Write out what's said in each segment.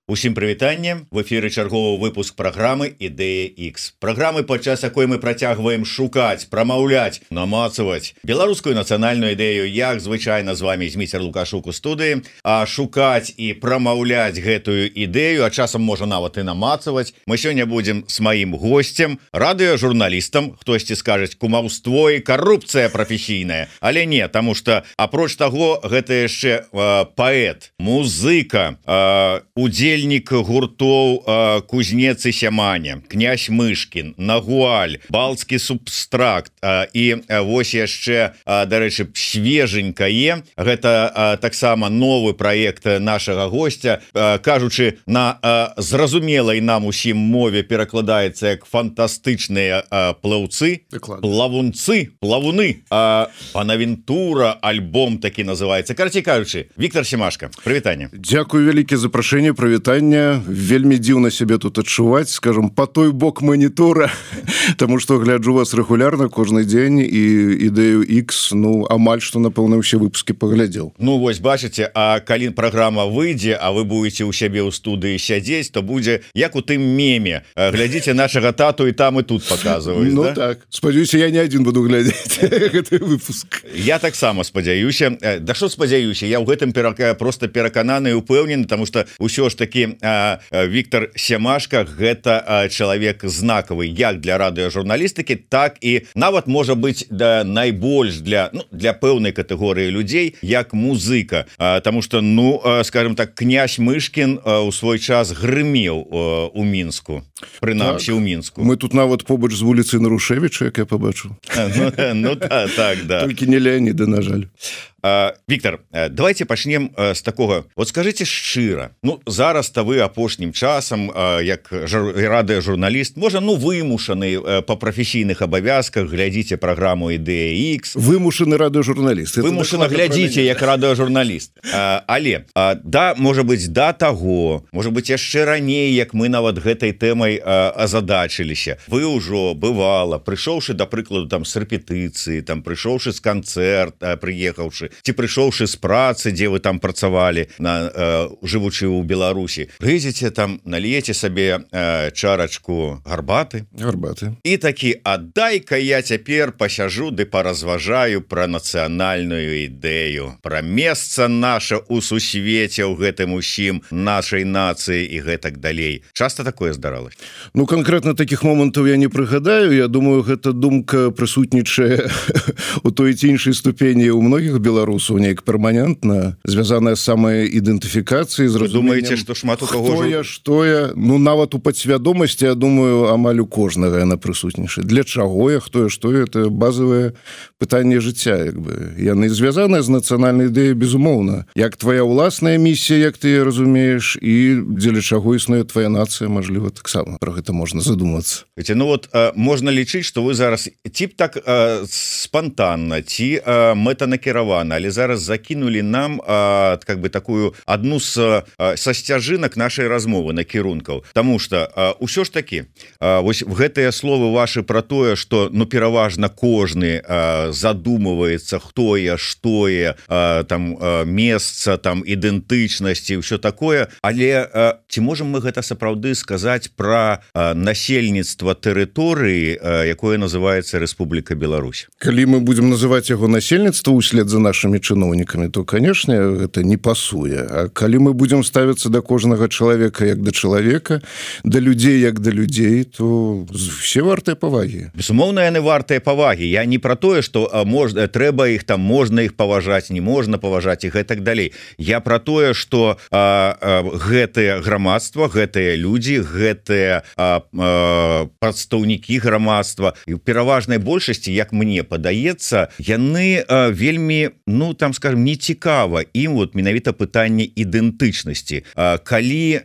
Усім прывітанне, в эфіры чарговы выпуск праграмы Ідэя X. Праграмы, падчас якой мы працягваем шукаць, прамаўляць, намацаваць беларускую нацыянальную ідэю, як звычайна з вами Зміцер Лукашук у студыі, а шукаць і прамаўляць гэтую ідэю, а часам можа нават і намацаваць. Мы сёння будзем з маім госцем, радыёжурналістам, хтосьці скажаць кумаўство і карупцыя прафесійная, але не, таму што апроч таго, гэта яшчэ паэт, музыка, удзельнік гуртоў Кузнец і Сяманя, князь Мышкін, Нагуаль, Балтскі субстракт і вось яшчэ, дарэчы, свеженькае, гэта таксама новы праект нашага госця, кажучы на зразумелай нам усім мове перакладаецца як фантастычныя плаўцы, плавунцы, плавуны, Панавентура, альбом такі называецца. Карацей кажучы, Віктор Семашка, прывітанне. Дзякуй вялікі за прашэнне, прывітанне. Вельмі дзіўна сябе тут адчуваць, скажем, по той бок манітора, таму што гляджу вас рэгулярна кожны дзень і Ідэю X, ну, амаль што, напэўна, ўсе выпускі паглядзеў. Ну, вось, бачыце, а калі праграма выйдзе, а вы будете ў сябе ў студыі сядзець, то будзе, як у тым меме. Глядзіце нашага тату і там і тут паказваюць, ну, да? Так. Спадзяюся, я не адзін буду глядзець гэты выпуск. Я таксама спадзяюся. Да што спадзяюся? Я ў гэтым проста перакананы і упэўнены, таму што ўсё ж такі Віктор Семашка гэта чалавек знакавы як для радыёжурналістыкі, так і нават можа быць найбольш для пэўнай катэгорыі людзей як музыка, таму што, ну, скажем так, князь Мышкін у свой час грымеў у Мінску, прынамсі ў Мінску. Мы тут нават побач з вуліцы Нарушевіча, як я пабачыў. Ну так, да. Толькі не Леаніда, на жаль. Віктор, давайте пачнем з такога. Вот скажите шчыра, ну, зараз-то вы апошнім часам, як радыёжурналіст, можа, ну, вымушаны па прафесійных абавязках, глядзіце праграму Ідэя X. Вымушаны радыёжурналіст. Вымушана глядзіце, як радыёжурналіст. Але, да, можа быць, да таго, можа быць, яшчэ раней, як мы нават гэтай тэмай азадачыліся. Вы ўжо, бывала, прыйшоўшы, да прыкладу, там, з рэпетыцыі, там, прыйшоўшы з канцэрта, прыехаўшы, ці прыйшоўшы з працы, дзе вы там працавалі, жывучы ў Беларусі, прыйдзеце там, наліеце сабе чарачку гарбаты. І такі, а дай-ка я цяпер пасяжу ды паразважаю пра нацыянальную ідэю, пра месца наша ў сусвеце, ў гэтым усім, нашай нацыі і гэтак далей. Часта такое здаралася? Ну, канкрэтна такіх момантаў я не прыгадаю. Я думаю, гэта думка прысутнічае у той ці іншай ступені ў многіх беларусаў, неяк перманентна, звязаная з самай ідэнтыфікацыяй, з разуменнем, думаеце, што шмат у каго што я, ну, нават у падсвядомасці, я думаю, амаль у кожнага яна прысутнічае. Для чаго я, хто я, што я, это базавае пытанне жыцця, як бы. Яны звязаныя з нацыянальнай ідэяй, безумоўна. Як твая ўласная місія, як ты разумееш, і дзеля чаго існуе твая нацыя, мажліва, таксама. Пра гэта можна задумацца. Ну вот, можна лічыць, што вы зараз ці так спантанна, ці мэтанакіравана, але зараз закінулі нам как бы такую адну са сцяжынак нашай размовы, накірункаў. Таму што ўсё ж такі, вось гэтыя словы вашы пра тое, што, ну, пераважна кожны задумваецца, хто я, што я, там, месца, там, ідэнтычнасці, ўсё такое, але ці можам мы гэта сапраўды сказаць пра насельніцтва тэрыторыі, якое называецца Рэспубліка Беларусь? Калі мы будзем называць яго насельніцтва услед за нашымі чыноўнікамі, то, канешне, гэта не пасуе. А калі мы будзем ставіцца да кожнага чалавека як да чалавека, да людзей як да людзей, то все вартыя павагі. Безумоўна, яны вартыя павагі. Я не пра тое, што трэба іх там, можна іх паважаць, не можна паважаць і гэтак далей. Я пра тое, што гэтае грамадства, гэтыя людзі, гэтыя прадстаўнікі грамадства, і ў пераважнай большасці, як мне падаецца, яны вельмі, ну, там, скажем, не цікава ім вот менавіта пытанне ідэнтычнасці. Калі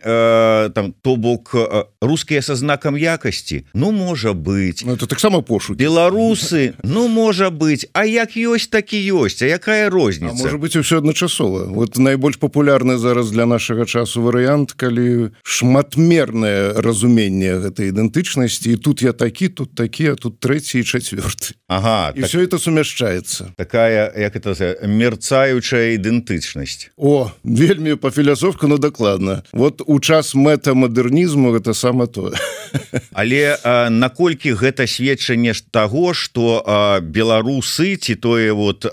там, то бок, рускія са знакам якасці, ну, можа быць. Ну, это таксама пошукі. Беларусы, ну, можа быць. А як ёсць, так і ёсць. А якая розніца? А можа быць, усё адначасова. Вот найбольш папулярны зараз для нашага часу варыянт, калі шматмернае разуменне гэтай ідэнтычнасці, і тут я такі, тут такі, а тут трэці і чацвёрты. Ага. І так... все это сумяшчаецца. Такая, як это мерцаючая ідэнтычнасць. О, вельмі па-філасофку, ну дакладна. Вот у час мэтамадэрнізму гэта сама тое. Але наколькі гэта сведчанне таго, што беларусы ці тое вот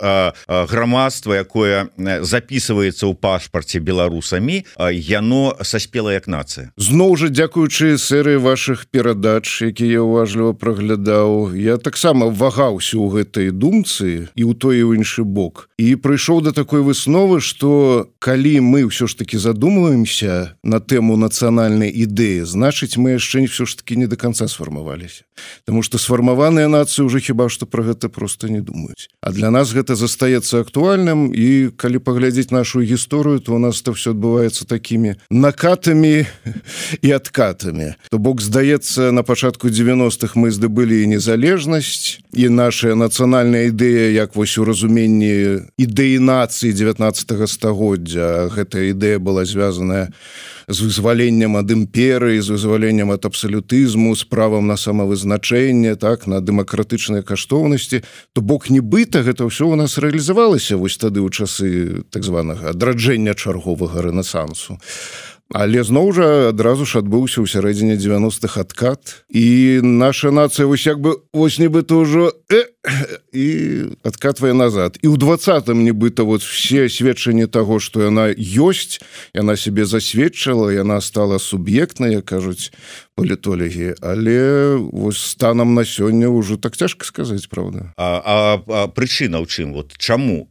грамадства, якое записываецца ў пашпарце беларусамі, яно саспела як нацыя. Зноў жа, дзякуючы серыі вашых перадач, якія я уважліва праглядаў, я таксама вагаўся ў гэтай думцы і ў той і ў іншы бок. І прыйшоў да такой высновы, што калі мы ўсё ж таки задумваемся на тэму нацыянальнай ідэі, значыць, мы яшчэ ўсё ж таки не до конца сфармаваліся. Таму што сфармаваныя нацыі ўжо хіба што пра гэта проста не думаюць. А для нас гэта застаецца актуальным, і калі паглядзець нашу гісторыю, то у нас это все адбываецца такімі накатамі і адкатамі. То бок, здаецца, на пачатку 90-х мы здабылі незалежнасць, і наша нацыянальная ідэя, як вось у разуменні ідэі нацыі 19 стагоддзя, гэтая ідэя была звязаная з вызваленнем ад імперыі, з вызваленнем ад абсалютызму, з правам на самавызначэнне, так, на дэмакратычныя каштоўнасці, то бок нібыта гэта ўсё у нас рэалізавалася вось тады ў часы так званага адраджэння чарговага рэнесансу. Але зноў жа адразу ж адбыўся ў сярэдзіне 90-х адкат, і наша нацыя вось як бы вось нібыта ўжо і адкатвае назад. І ў 20-м нібыта вот все сведчанні таго, што яна ёсць, яна сябе засведчыла, яна стала суб'ектнай, як кажуць палітолагі, але вось станам на сёння ўжо так цяжка сказаць, правда. Прычына ў чым? Вот чаму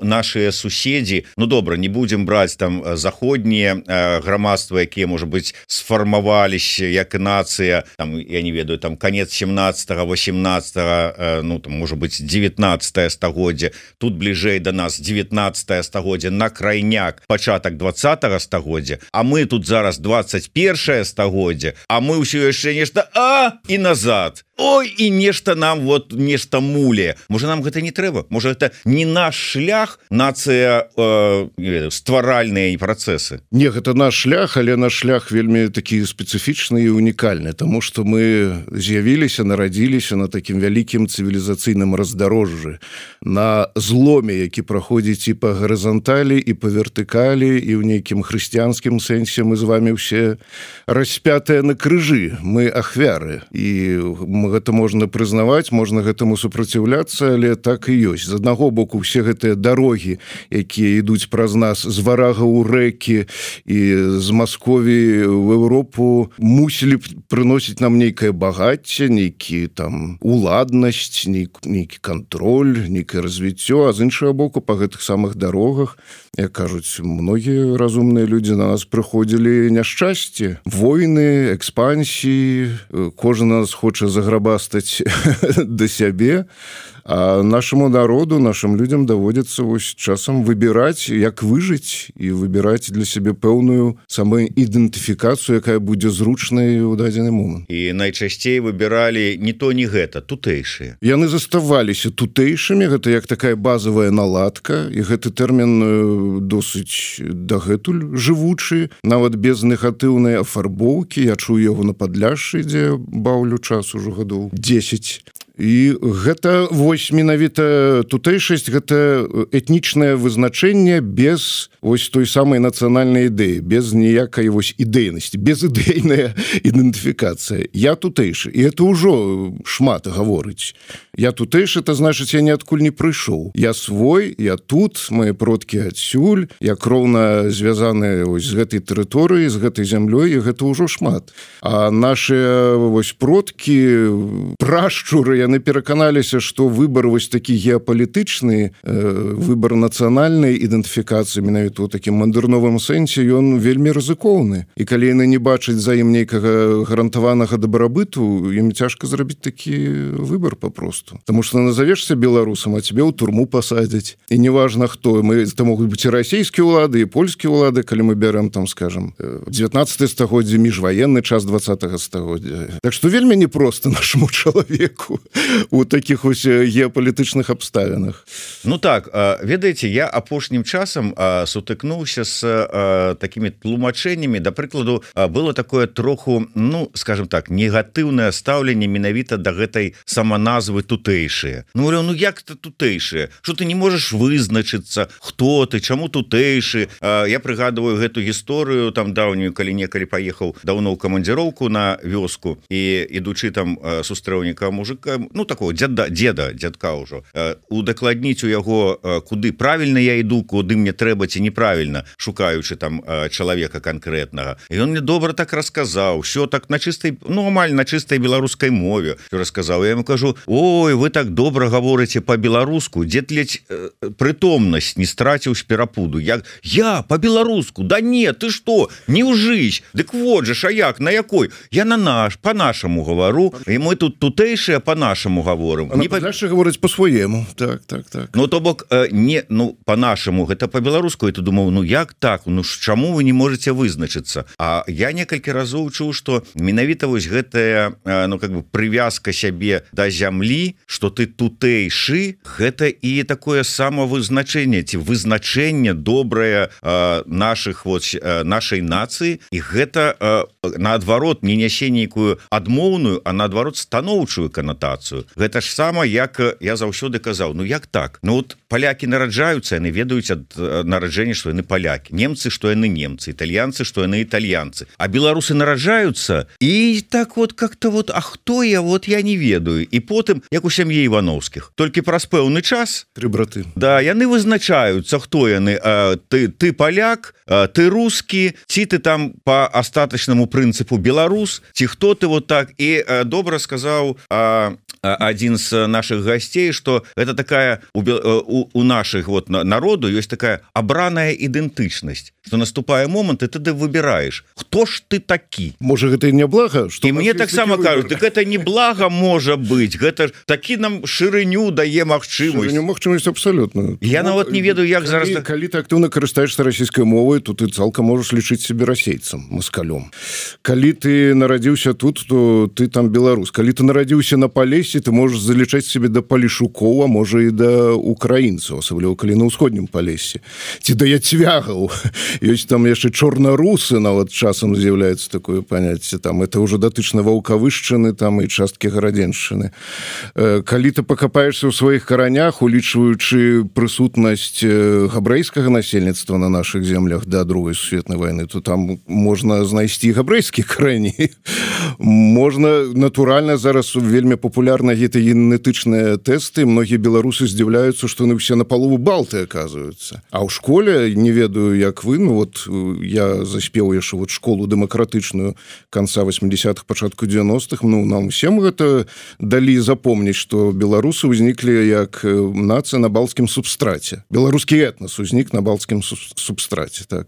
нашыя суседзі, ну добра, не будзем браць там заходнія грамадства, якія, можа быць, сфармаваліся як нацыя, там, я не ведаю, там канец 17-го, 18-го, ну там, можа быць, 19-е стагоддзя, тут бліжэй да нас 19-е стагоддзя, на крайняк пачатак 20-го стагоддзя, а мы тут зараз 21-е стагоддзя, а мы ўсё яшчэ нешта і назад. Ой, і нешта нам вот нешта муле. Можа, нам гэта не трэба? Можа, гэта не наш шлях, нацыя стваральныя працэсы? Не, гэта наш шлях, але наш шлях вельмі такі спецыфічны і унікальны, таму што мы з'явіліся, нарадзіліся на такім вялікім цывілізацыйным раздарожжы, на зломе, які праходзіць і па гарызанталі, і па вертыкалі, і ў нейкім хрысціянскім сэнсе мы з вами ўсе распятыя на крыжы, мы ахвяры, і гэта можна прызнаваць, можна гэтаму супраціўляцца, але так і ёсць. З аднаго боку, все гэтыя дарогі, якія ідуць праз нас з варага ў рэкі і з Маскові в Еўропу, мусілі б прыносіць нам нейкае багацце, нейкі там уладнасць, нейкі кантроль, нейкае развіццё, а з іншага боку, па гэтых самых дарогах, як кажуць, многія разумныя людзі на нас прыходзілі няшчасце, войны, экспансіі, кожны нас хоча заграбастаць да сябе, а нашаму народу, нашым людзям даводзіцца вось часам выбіраць, як выжыць, і выбіраць для сябе пэўную самаідэнтыфікацыю, якая будзе зручнай у дадзены момант. І найчасцей выбіралі не то, не гэта, тутэйшыя. Яны заставаліся тутэйшымі, гэта як такая базавая наладка, і гэты тэрмін досыць дагэтуль жывучы, нават без негатыўнай афарбоўкі. Я чую яго на Падляшшы, дзе баўлю час ужо гадоў 10. І гэта вось менавіта тутэйшасць, гэта этнічнае вызначэнне без вось той самай нацыянальнай ідэі, без ніякай вось ідэйнасці, безідэйная ідэнтыфікацыя. Я тутэйшы, і гэта ўжо шмат гаворыць. Я тутэйшы, это значыць, я ніадкуль не прыйшоў. Я свой, я тут, мае продкі адсюль, я кроўна звязаны вось з гэтай тэрыторыяй, з гэтай зямлёй, і гэта ўжо шмат. А нашыя вось продкі, прашчуры, яны пераканаліся, што выбар вось такі геапалітычны, выбар нацыянальнай ідэнтыфікацыі, менавіта ў такім мадэрновым сэнсе, ён вельмі рызыкоўны. І калі яны не бачаць за ім нейкага гарантаванага дабрабыту, ім цяжка зрабіць такі выбар папросту. Таму што назавешся беларусам, а цябе ў турму пасадзяць. І неважна хто. Это могуць быць і расійскія ўлады, і польскія ўлады, калі мы бярэм, там, скажам, 19 стагоддзе, міжваенны час 20 стагоддзя. Так што вельмі непроста нашаму чалавеку у таких ось геапалітычных абставінах. Ну так, ведаеце, я апошнім часам сутыкнуўся з такімі тлумачэннямі. Да прыкладу, было такое троху, ну, скажем так, негатыўнае стаўленне менавіта да гэтай саманазвы тутэйшыя. Ну, ну як это тутэйшыя? Што ты не можаш вызначыцца, хто ты, чаму тутэйшы? Я прыгадываю гэту гісторыю там даўнюю, калі некалі паехаў даўно ў камандзіроўку на вёску і ідучы там сустрэў некага мужика, ну такого дзядка ўжо, удакладніць у яго, куды правільна я іду, куды мне трэба ці неправільна, шукаючы там чалавека канкрэтнага. І ён мне добра так расказаў, ўсё так на чыстай, ну амаль на чыстай беларускай мове расказаў. Я ему кажу: ой, вы так добра гаворыце по-беларуску, дзед ледзь прытомнасць не страціў з перапуду. Я по-беларуску? Да не, ты што, не ўжысь. Дык вот же, а як, на якой? Я по-нашаму гавару, і мы тут тутэйшыя по-нашаму гаворым. Не па-нашаму гаворыць по-своему. Так. Ну то бок не, ну по-нашаму, гэта по-беларуску. І ты думаў, ну як так? Ну чаму вы не можете вызначыцца? А я некалькі разоў чуў, што менавіта вось гэтая, ну как бы прывязка сябе да зямлі, што ты тутэйшы, гэта і такое самавызначэнне ці вызначэнне добрае нашай нацыі, і гэта наадварот не нясе нейкую адмоўную, а наадварот станоўчую канатацыю. Гэта ж сама, як я заўсёды казаў, ну як так? Ну вот палякі нараджаюцца, яны ведаюць ад нараджэння, што яны палякі, немцы, што яны немцы, італьянцы, што яны італьянцы, а беларусы нараджаюцца і так вот как-то вот, а хто я, вот я не ведаю. І потым, як у сям'і Івановскіх, толькі праз пэўны час тры браты, да, яны вызначаюцца, хто яны, ты паляк, ты рускі, ці ты там по астатачнаму прынцыпу беларус, ці хто ты вот так. І добра сказаў адзін з наших гасцей, што гэта такая у наших вот народу ёсць такая абраная ідэнтычнасць, што наступае момант, і ты выбіраеш, хто ж ты такі. Можа гэта і не блага, і мне таксама кажуць, так гэта не блага можа быць, гэта такі нам шырыню дае магчымасць абсалютную. Я нават не ведаю, як зараз. Калі ты актыўна карыстаешься расійскай мовай, то ты цалкам можаш лічыць себе расейцам, маскалём. Калі ты нарадзіўся тут, то ты там беларус. Калі ты нарадзіўся на Палесе, ты можаш залічаць себе да палешукоў, а можа і да украінцаў, асабліва калі на ўсходнім Палесе, ці да яцвягаў. Ёсць там яшчэ чорнарусы, нават часам з'яўляецца такое паняцце, там это ўжо датычна ваўкавышчыны там і часткі гарадзеншчыны. Калі ты пакапаешься ў сваіх каранях, улічваючы прысутнасць габрэйскага насельніцтва на наших землях да другой сусветнай вайны, то там можна знайсці габрэйскія карані. Можна, натуральна, зараз вельмі папулярна гэта генетычныя тэсты, многія беларусы здзіўляюцца, што яны ўсе на палову балты аказваюцца. А ў школе, не ведаю, як вы, ну вот я заспеў яшчэ вот школу дэмакратычную канца 80-х, пачатку 90-х, ну нам усім гэта далі запомніць, што беларусы ўзніклі як нацыя на балцкім субстраце. Беларускі этнас узнік на балцкім субстраце, так.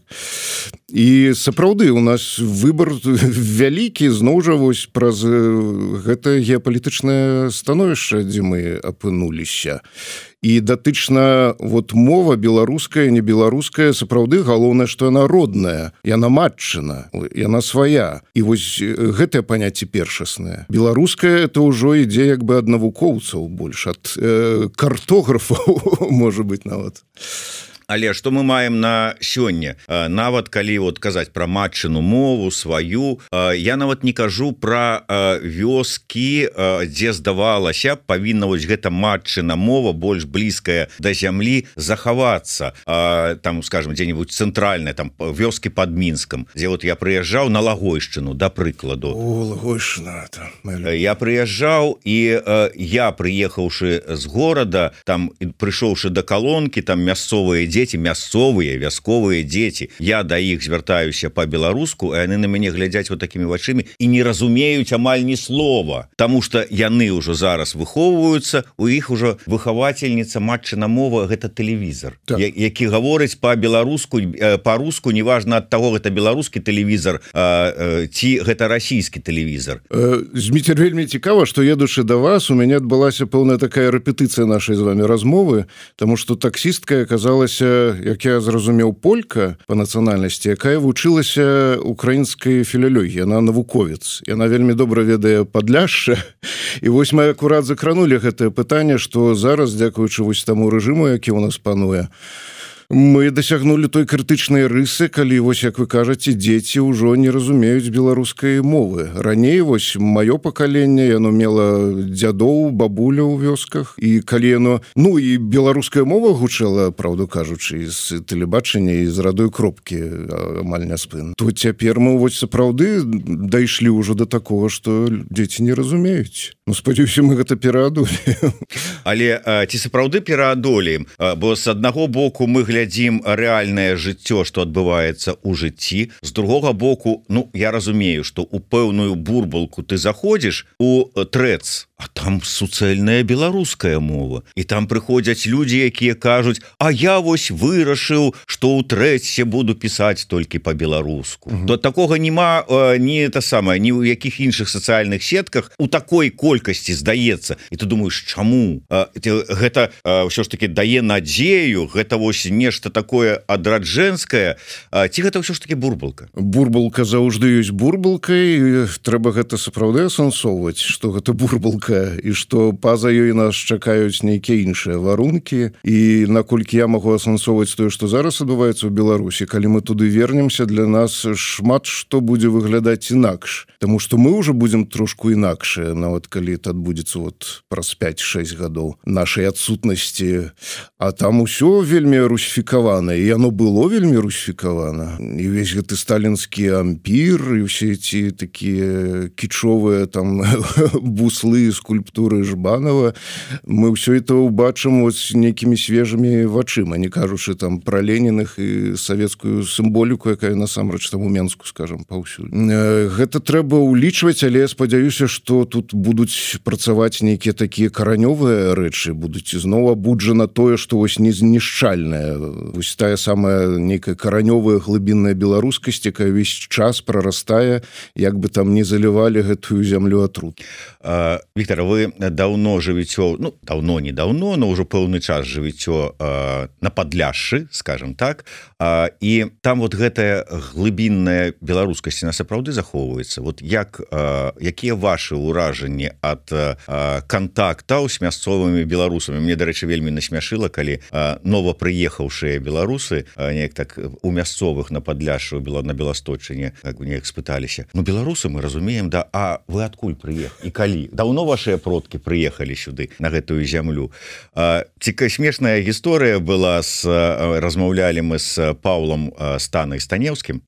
І сапраўды у нас выбор вялікі, зноў жа вось праз гэта геапалітычнае становішча, дзе мы апынуліся. І датычна вот мова беларуская, не беларуская, сапраўды галоўнае, што яна родная, яна матчына, яна свая. І вось гэтае паняцце першаснае. Беларуская это ўжо ідзе як бы ад навукоўцаў больш, ад картографаў, можа быць, нават. Але што мы маем на сёння? Нават калі вот казаць пра матчыну мову сваю, я нават не кажу пра вёскі, дзе здавалася павінна вось гэта матчына мова больш блізкая да зямлі захавацца. Там, скажем, дзе-нибудь цэнтральная, там вёскі пад Мінскам, дзе вот я прыязджаў на Лагойшчыну, да прыкладу. О, Лагойшчына. Я прыязджаў, і я, прыехаўшы з горада, там прыйшоўшы да калонкі, там мясцовыя дзеці, мясцовыя, вясковыя дзеці, я да іх звяртаюся па-беларуску, а яны на мяне глядзяць вот такімі вачымі і не разумеюць амаль ні слова, таму што яны ўжо зараз выхоўваюцца, у іх ужо выхавацельніца матчына мова, гэта тэлевізар, так. Які гаворыць па-беларуску, па-руску, неважна ад таго, гэта беларускі тэлевізар ці гэта расійскі тэлевізар. Зміцер, вельмі цікава, што едучы да вас, у мяне адбылася пэўная такая рэпетыцыя нашай з вами размовы, таму што таксістка аказалася як я зразумеў, полька па нацыянальнасці, якая вучылася украінскай філялогіі, яна навуковец, яна вельмі добра ведае Падляшша. І вось мы акурат закранули гэтае пытанне, што зараз, дзякуючы вось таму рэжыму, які ў нас пануе, мы дасягнулі той крытычнай рысы, калі, вось, як вы кажаце, дзеці ўжо не разумеюць беларускай мовы. Раней, вось, маё пакаленне, яно мела дзядоў, бабуля ў вёсках, і калі яно... Ну, і беларуская мова гучала, правду кажучы, з тэлебачання і з радой кропкі, амаль не спын. То цяпер мы, вось, сапраўды дайшлі ўжо да такога, што дзеці не разумеюць. Ну, спадзяюся, мы гэта пераадолі. Але ці сапраўды пераадолеем? Бо з аднаго боку мы глядзім рэальнае жыццё, што адбываецца ў жыцці. З другога боку, ну, я разумею, што ў пэўную бурбалку ты заходзіш у трэц, а там суцэльная беларуская мова. І там прыходзяць людзі, якія кажуць, а я вось вырашыў, што ў трэце буду пісаць толькі па-беларуску. То такога няма ні ў якіх іншых сацыяльных сетках у такой колькасці здаецца. І ты думаеш, чаму? Гэта ўсё ж таки дае надзею, гэта вось нешта такое адраджэнскае, ці гэта ўсё ж таки бурбалка? Бурбалка заўжды ёсць бурбалкай, трэба гэта сапраўды асэнсоўваць, што гэта бурбалка, і што па-за ёй нас чакаюць нейкія іншыя варункі. І наколькі я магу асэнсоўваць тое, што зараз адбываецца ў Беларусі, калі мы туды вернемся, для нас шмат што будзе выглядаць інакш. Таму што мы ўжо будзем трошку інакшыя, нават калі это адбудзецца вот праз 5-6 гадоў нашай адсутнасці. А там усё вельмі русіфікавана, і яно было вельмі русіфікавана. І ўвесь гэты сталінскі ампір, і ўсе ці такія кічовыя там буслы, скульптуры Жбанова, мы ўсё это ўбачым вось нейкімі свежымі вачыма, не кажучы там пра Леніных і савецкую сімволіку, якая насамрэч там у Менску, скажам, паўсюль. Гэта трэба ўлічваць, але я спадзяюся, што тут будуць працаваць нейкія такія каранёвыя рэчы, будуць зноў абуджана тое, што вось незнішчальнае. Вось тая самая нейкая каранёвая глыбінная беларускасць, якая ўвесь час прарастае, як бы там не залівалі гэтую зямлю атрут. Віктор, вы даўно жывіцё, ну, даўно-недаўно, но ўжо пэўны час жывіцё на Падляшшы, скажем так, і там вот гэтая глыбінная беларускасць, она сапраўды захоўваецца. Вот якія вашы ўражанні ад кантактаў з мясцовымі беларусамі? Мне, дарэчы, вельмі насмяшыла, калі новапрыехаўшыя беларусы неяк так у мясцовых на Падляшшы, на Беласточыне, неяк спыталіся, ну, беларусы мы разумеем, да, а вы адкуль прыехалі? І калі? Даўно вашыя продкі прыехалі сюды, на гэтую зямлю. Смешная гісторыя была, размаўлялі мы з Паўлам Станай Станеўскім,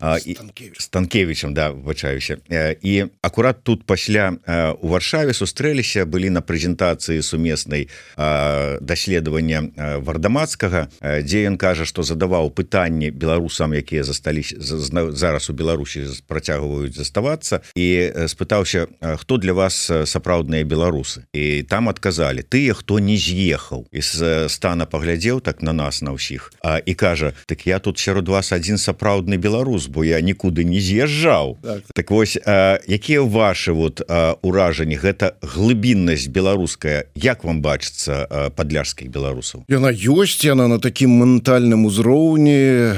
Станкевічам, да, выбачаюся. І акурат тут пасля у Варшаве сустрэліся, былі на прэзентацыі сумеснай даследавання Вардамацкага, дзе ён кажа, што задаваў пытанні беларусам, якія засталіся зараз у Беларусі, працягваюць заставацца, і спытаўся, хто для вас сапраўдныя беларусы? І там адказалі, тыя, хто не з'ехаў. І Стана паглядзеў так на нас, на ўсіх, і кажа, так я тут сярод вас адзін сапраўдны беларус, бо я нікуды не з'язджаў. Так вось, якія вашы вот уражанні, гэта глыбіннасць беларуская, як вам бачыцца падляшскіх беларусаў? Яна ёсць, яна на такім ментальным узроўні.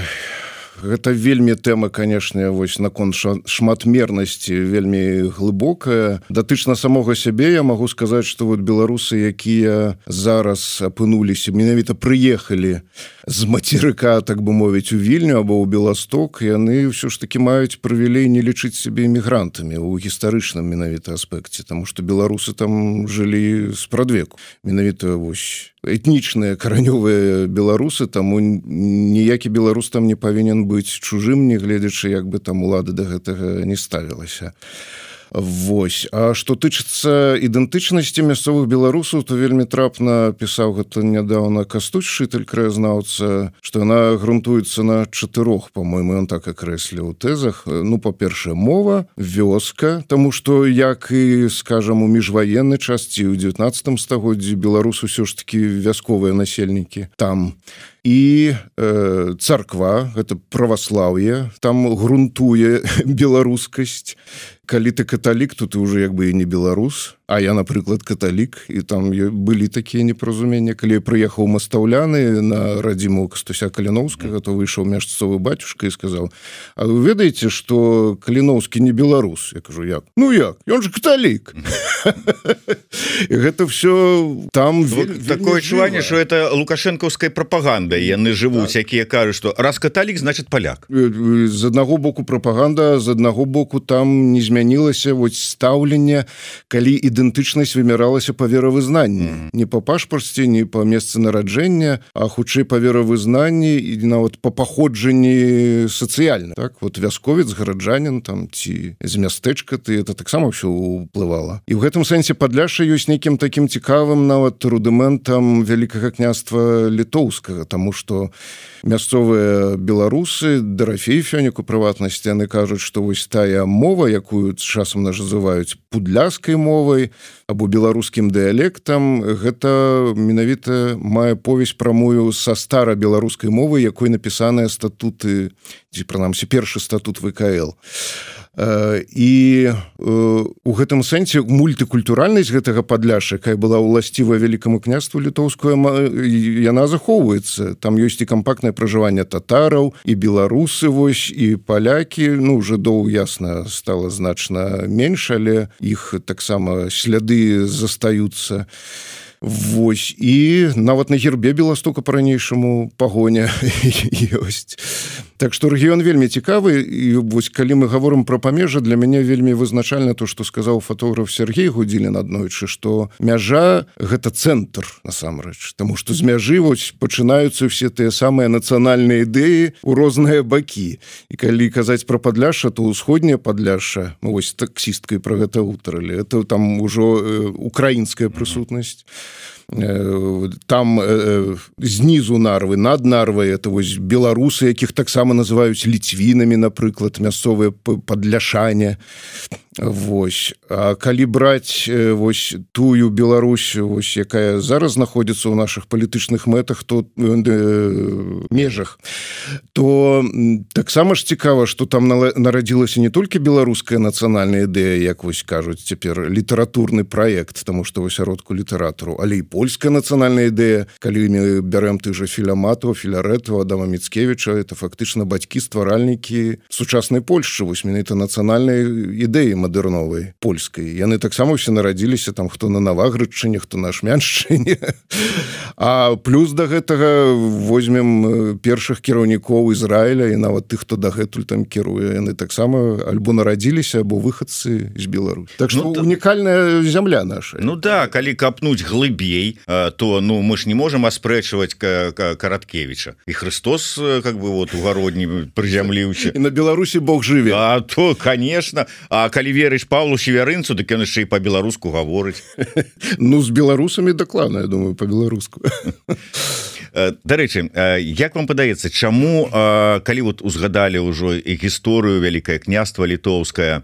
Гэта вельмі тэма, канешне, вось наконт шматмернасці вельмі глыбокая. Датычна самога сябе я магу сказаць, што вот беларусы, якія зараз апынуліся, менавіта прыехалі з мацерыка, так бы мовіць, у Вільню або ў Беласток, яны ўсё ж такі маюць прывілей не лічыць сябе эмігрантамі ў гістарычным менавіта аспекце, таму што беларусы там жылі спрадвеку. Менавіта вось этнічныя каранёвыя беларусы, таму ніякі беларус там не павінен быць чужым, не гледзячы, як бы там улада да гэтага не ставілася. Вось. А што тычыцца ідэнтычнасці мясцовых беларусаў, то вельмі трапна пісаў гэта нядаўна Кастусь Шыталь, краязнаўца, што яна грунтуецца на 4, по-мойму, ён так акрэсліў у тэзах. Ну, па-першае, мова, вёска, таму што, як і, скажам, у міжваенны час ці ў 19 стагоддзі беларус усё ж такі вясковыя насельнікі там. І царква, гэта праваслаўе, там грунтуе беларускасць. Калі ты каталік, то ты ўжо як бы і не беларус. а я, напрыклад, каталік, і там былі такія непаразуменні. Калі я прыехаў Мастаўляны на радзіму Кастуся Каліноўскага, то выйшаў мясцовы бацюшка і сказаў: а вы ведаеце, што Каліноўскі не беларус? Я кажу: як? Ну як? Ён же каталік. І гэта все там такое адчуванне, што это лукашэнкаўская прапаганда. Яны жывуць, якія кажуць, што раз каталік, значит паляк. З аднаго боку прапаганда, з аднаго боку там не змянілася стаўленне, калі ідэнтычнасць вымяралася па веравызнанні. Не па пашпарце, не па месцы нараджэння, а хутчэй па веравызнанні і нават па паходжанні сацыяльна. Так, вот вясковец, гараджанін там ці з мястэчка, это таксама ўсё ўплывала. І ў гэтым сэнсе Падляшша ёсць нейкім такім цікавым нават рудыментам Вялікага княства літоўскага, таму што мясцовыя беларусы, Дарафей Фёнік у прыватнасці, яны кажуць, што вось тая мова, якую часам называюць пудляскай мовай або беларускім дыялектам, гэта менавіта мае повязь прамую са стара-беларускай мовы, якой напісаныя статуты, ці прынамсі першы статут ВКЛ. І у гэтым сэнсе мультыкультуральнасць гэтага Падляшша, якая была ўласціва Вялікаму княству літоўскую, яна захоўваецца. Там ёсць і кампактнае пражыванне татараў, і беларусы, вось, і палякі. Ну, жыдоў, ясна, стала значна менш, але іх таксама сляды застаюцца. Вось, і нават на гербе Беластока па-ранейшаму пагоня ёсць. Так што рэгіён вельмі цікавы, і вось калі мы гаворым пра памежжа, для мяне вельмі вызначальна то, што сказаў фатограф Сергей Гудзілін аднойчы, што мяжа — гэта цэнтр, насамрэч, таму што з мяжы вось пачынаюцца ўсе тыя самыя нацыянальныя ідэі ў розныя бакі. І калі казаць пра Падляшша, то ўсходняе Падляшша, мы вось таксісткай пра гэта гутарылі, это там ужо украінская прысутнасць. Там знізу Нарвы, над Нарвай, это вось беларусы, якіх таксама называюць ліцвінамі, напрыклад, мясцовыя падляшане. Вось. А калі браць вось тую Беларусь, вось, якая зараз знаходзіцца ў нашых палітычных мэтах, то межах, то таксама ж цікава, што там нарадзілася не толькі беларуская нацыянальная ідэя, як вось кажуць цяпер, літаратурны праект, таму што вось асяродку літаратару, але і польская нацыянальная ідэя. Калі мы бярэм тых жа Філяматова, Філярэтава, Адама Міцкевіча, это фактычна бацькі, стваральнікі сучаснай Польшчы, вось менавіта нацыянальнай ідэі мадэрновай польскай. Яны таксама ўсе нарадзіліся там, хто на Наваградчыне, хто на Ашмяншчыне. А плюс да гэтага возьмем першых кіраўнікоў Ізраіля і нават тых, хто дагэтуль там кіруе. Яны таксама альбо нарадзіліся, або выхадцы з Беларусі. Так што унікальная зямля наша. Ну да, калі капнуць глыбей, то мы ж не можам аспрэчваць Караткевіча. І Христос как бы вот у гародні прызямліўся. І на Беларусі Бог жыве. А то, конечно. А калі верыш Павлу Севярынцу, дык ён яшчэ і па-беларуску гаворыць. Ну, з беларусамі дакладна, я думаю, па-беларуску. Дарэчы, як вам падаецца, чаму, калі вот узгадалі ўжо і гісторыю Вялікае княства літоўскае,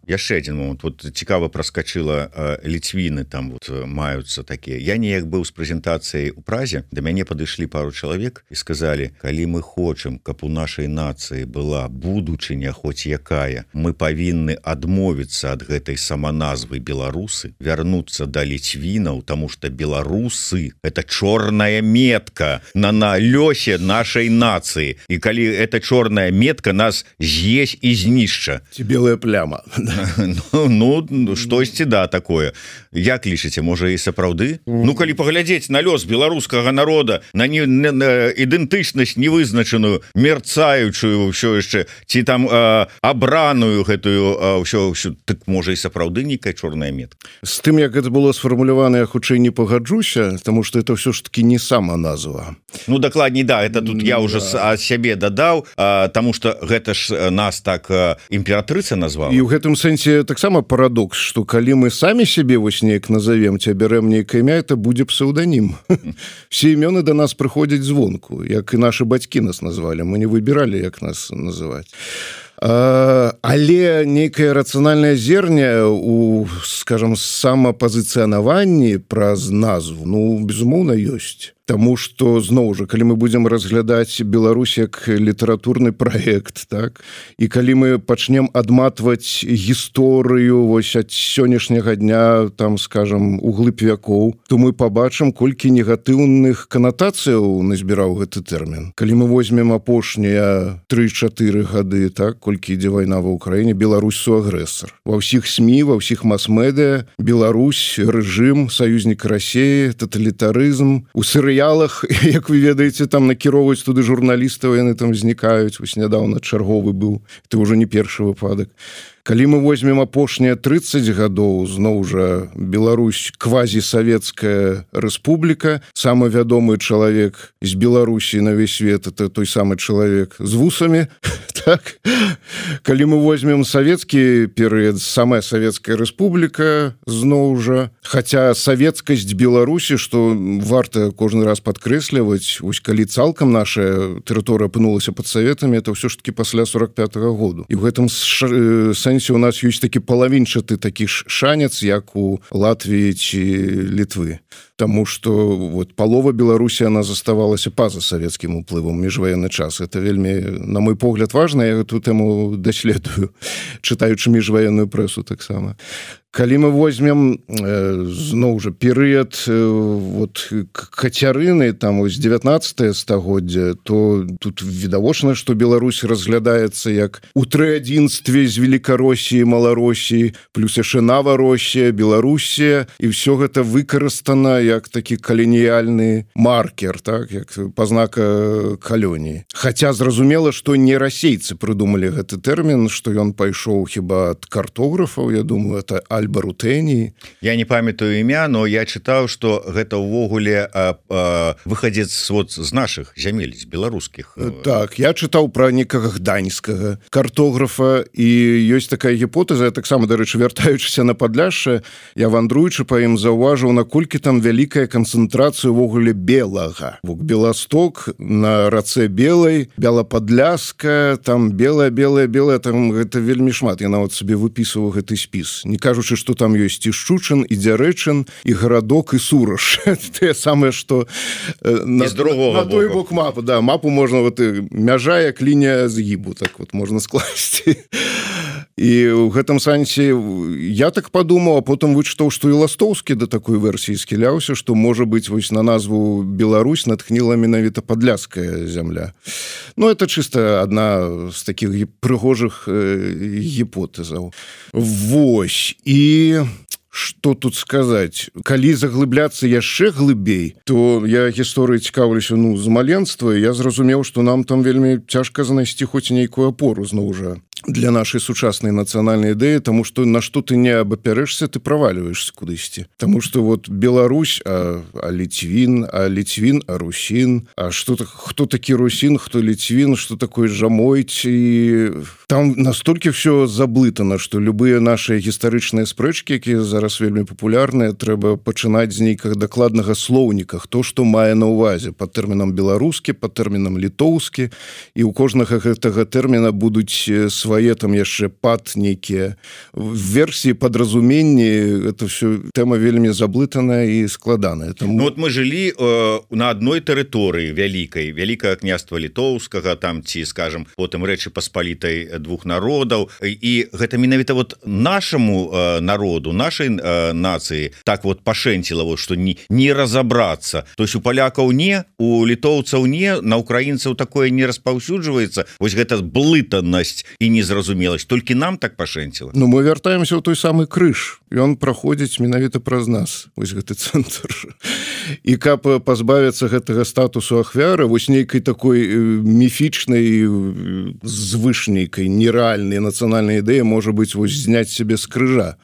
яшчэ адзін момант, вот цікава праскачыла ліцвіны, там вот маюцца такія. Я неяк быў з прэзентацыяй у Празе, да мяне падышлі пару чалавек і сказалі: калі мы хочам, каб у нашай нацыі была будучыня хоць якая, мы павінны адмовіцца ад гэтай саманазвы беларусы, вярнуцца да ліцвінаў, таму што беларусы — это чорная метка на лёсе нашай нацыі. І калі эта чорная метка нас з'есь і знішча. Ці белая пляма. Ну, штосьці, да, такое. Як лічыце, можа і сапраўды? Ну, калі паглядзець на лёс беларускага народа, на ідэнтычнасць невызначаную, мерцаючую ўсё яшчэ, ці там абраную гэтую ўсё, так можа і сапраўды нейкая чорная метка. З тым, як гэта было сфармулявана, я хутчэй не пагаджуся, таму што это ўсё ж таки не сама назва. Ну, дакладней, да, это тут я уже ад сябе дадаў, таму што гэта ж нас так імператрыца назвала. І ў гэтым сэнсе таксама парадокс, што калі мы самі сябе вось неяк назовем, ці бярэм нейкае імя, это будзе псеўданім. Все імёны да нас прыходзяць звонку, як і нашы бацькі нас назвалі. Мы не выбіралі, як нас называць. Але нейкае рацыянальнае зерне у, скажам, самапазіцыянаванні праз назву, ну, безумоўна, ёсць. Таму што зноў жа калі мы будзем разглядаць Беларусь як літаратурны праект, так, і калі мы пачнем адматваць гісторыю вось ад сённяшняга дня, там скажам углыб вякоў, то мы пабачым, колькі негатыўных канатацыяў назбіраў гэты тэрмін. Калі мы возьмем апошнія 3-4 гады, так, колькі ідзе вайна ва ўкраіне, Беларусь суагрэсар. Ва ўсіх СМІ, ва ўсіх мас-медыа Беларусь рэжым, саюзнік Расіі, таталітарызм. У серыялах, як вы ведаеце, там накіроўваюць туды журналістаў, яны там знікаюць. Вось нядаўна чарговы быў, это ўжо не першы выпадак. Калі мы возьмем апошнія 30 гадоў, зноў жа Беларусь квазісавецкая рэспубліка, самы вядомы чалавек з Беларусі на весь свет, это той самы чалавек з вусамі, так. Калі мы возьмем савецкі перыяд, самая савецкая рэспубліка, зноў жа, хаця савецкасць Беларусі, што варта кожны раз падкрэсліваць, вось калі цалкам наша тэрыторыя апынулася пад саветамі, это ўсё ж такі пасля 45-го году. І ў гэтым сэнсе у нас ёсць такі палавінчаты такі шанец, як у Латвіі ці Літвы. Таму што вот палова Беларусі она заставалася па-за савецкім уплывам міжваенны час. Это вельмі, на мой погляд, важна, я эту тэму даследую, чытаючы міжваенную прэсу таксама. Калі мы возьмем зноў жа перыяд вот Кацярыны, там вось 19 стагоддзя, то тут відавочна, што Беларусь разглядаецца як у трыадзінстве з Велікаросіі, Маларосіі, плюс яшчэ Наваросія, Беларусія, і ўсё гэта выкарыстана як такі каланіяльны маркер, так, як пазнака калоніі. Хаця зразумела, што не расейцы прыдумалі гэты тэрмін, што ён пайшоў хіба ад картографаў, я думаю, это Альба Рутэній. Я не памятаю імя, но я чытаў, што гэта ўвогуле выхадзец вот з нашых зямель, з беларускіх. Так, я чытаў пра некага гданьскага картографа, і ёсць такая гіпотэза, я таксама, дарэчы, вяртаючыся на Падляшша, я вандруючы па ім заўважыў, наколькі там вялікая канцэнтрацыя ўвогуле белага. Беласток на рацэ Белай, Бела-Падляска, там белая, там гэта вельмі шмат. Я нават сабе выпісваў гэты спіс. Не кажучы, што там ёсць і Шчучын, і Дзярэчын, і Гарадок, і Сураж. Тое самае, што на той бок мапы. Да, мапу можна, вот, мяжа як лінія згібу, так вот можна скласці. І ў гэтым сэнсе я так падумаў, а потым вычытаў, што і Ластоўскі да такой версіі скіляўся, што, можа быць, вось на назву Беларусь натхніла менавіта падляская зямля. Ну, это чыста адна з такіх прыгожых гіпотэзаў. Вось. І што тут сказаць? Калі заглыбляцца яшчэ глыбей, то я гісторыяй цікаўлюся, з маленства, і я зразумеў, што нам там вельмі цяжка знайсці хоць нейкую апору, зноў жа, для нашай сучаснай нацыянальнай ідэі, таму што на што ты не абапярэшся, ты правальваешся кудысьці. Таму што вот Беларусь, а Ліцвін, а Русін, а хто такі Русін, хто Ліцвін, што такое Жамойць, і там настолькі ўсё заблытана, што любыя нашыя гістарычныя спрэчкі, якія зараз вельмі папулярныя, трэба пачынаць з нейкага дакладнага слоўніка, хто што мае на ўвазе, пад тэрмінам беларускі, пад тэрмінам літоўскі, і ў кожнага гэтага тэрміна будуць свае там яшчэ пад нейкія версіі, падразуменні. Это все тэма вельмі заблытаная і складаная. Ну вот мы жылі на адной тэрыторыі вялікай, вялікае княства літоўскага, там ці, скажем, потым Рэчы Паспалітай двух народаў, і гэта менавіта вот нашаму народу, нашай нацыі так вот пашэнціла, вот, што не разабрацца. То есть у палякаў не, у літоўцаў не, на украінцаў такое не распаўсюджваецца. Вось гэта блытанасць і незразумеласць, толькі нам так пашэнціла. Ну, мы вяртаемся ў той самы крыж, і он праходзіць менавіта праз нас, вось гэты цэнтр. І каб пазбавіцца гэтага статусу ахвяры, вось нейкай такой міфічнай, звышнейкай, нерэальнай нацыянальнай ідэі можа быць вось зняць сябе з крыжа.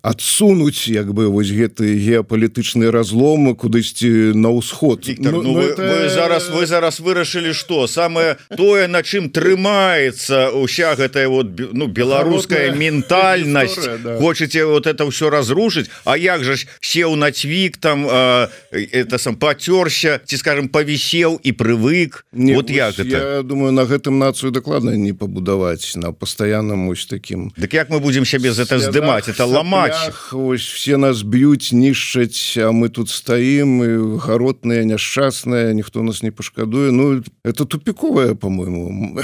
Адсунуць, як бы, вось гэты геапалітычны разлом кудысьці на ўсход. Віктор, вы зараз вырашылі, што самае тое, на чым трымаецца ўся гэтая вот, беларуская ментальнасць, хочаце вот это ўсё разрушыць, а як жа сеў на цвік, там это сам пацёрся, ці, скажем, павісеў і прывык. Вот як Я гэта? думаю, на гэтым нацыю дакладна не пабудаваць, на пастаянным ось такім. Дык як мы будзем сябе з гэта здымаць? Это ламаць. Вось все нас б'юць, нішчаць, а мы тут стаім, і гаротныя, няшчасныя, ніхто нас не пашкадуе. Ну, это тупіковая, по-моему,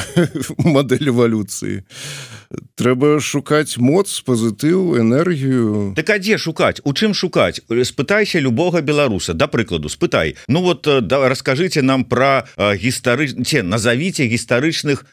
модель эволюцыі. Трэба шукаць моц, пазітыў, энергію. Так а дзе шукаць? У чым шукаць? Спытайся любога беларуса, да прыкладу, спытай. Ну вот раскажыце нам про назовіце гістарычных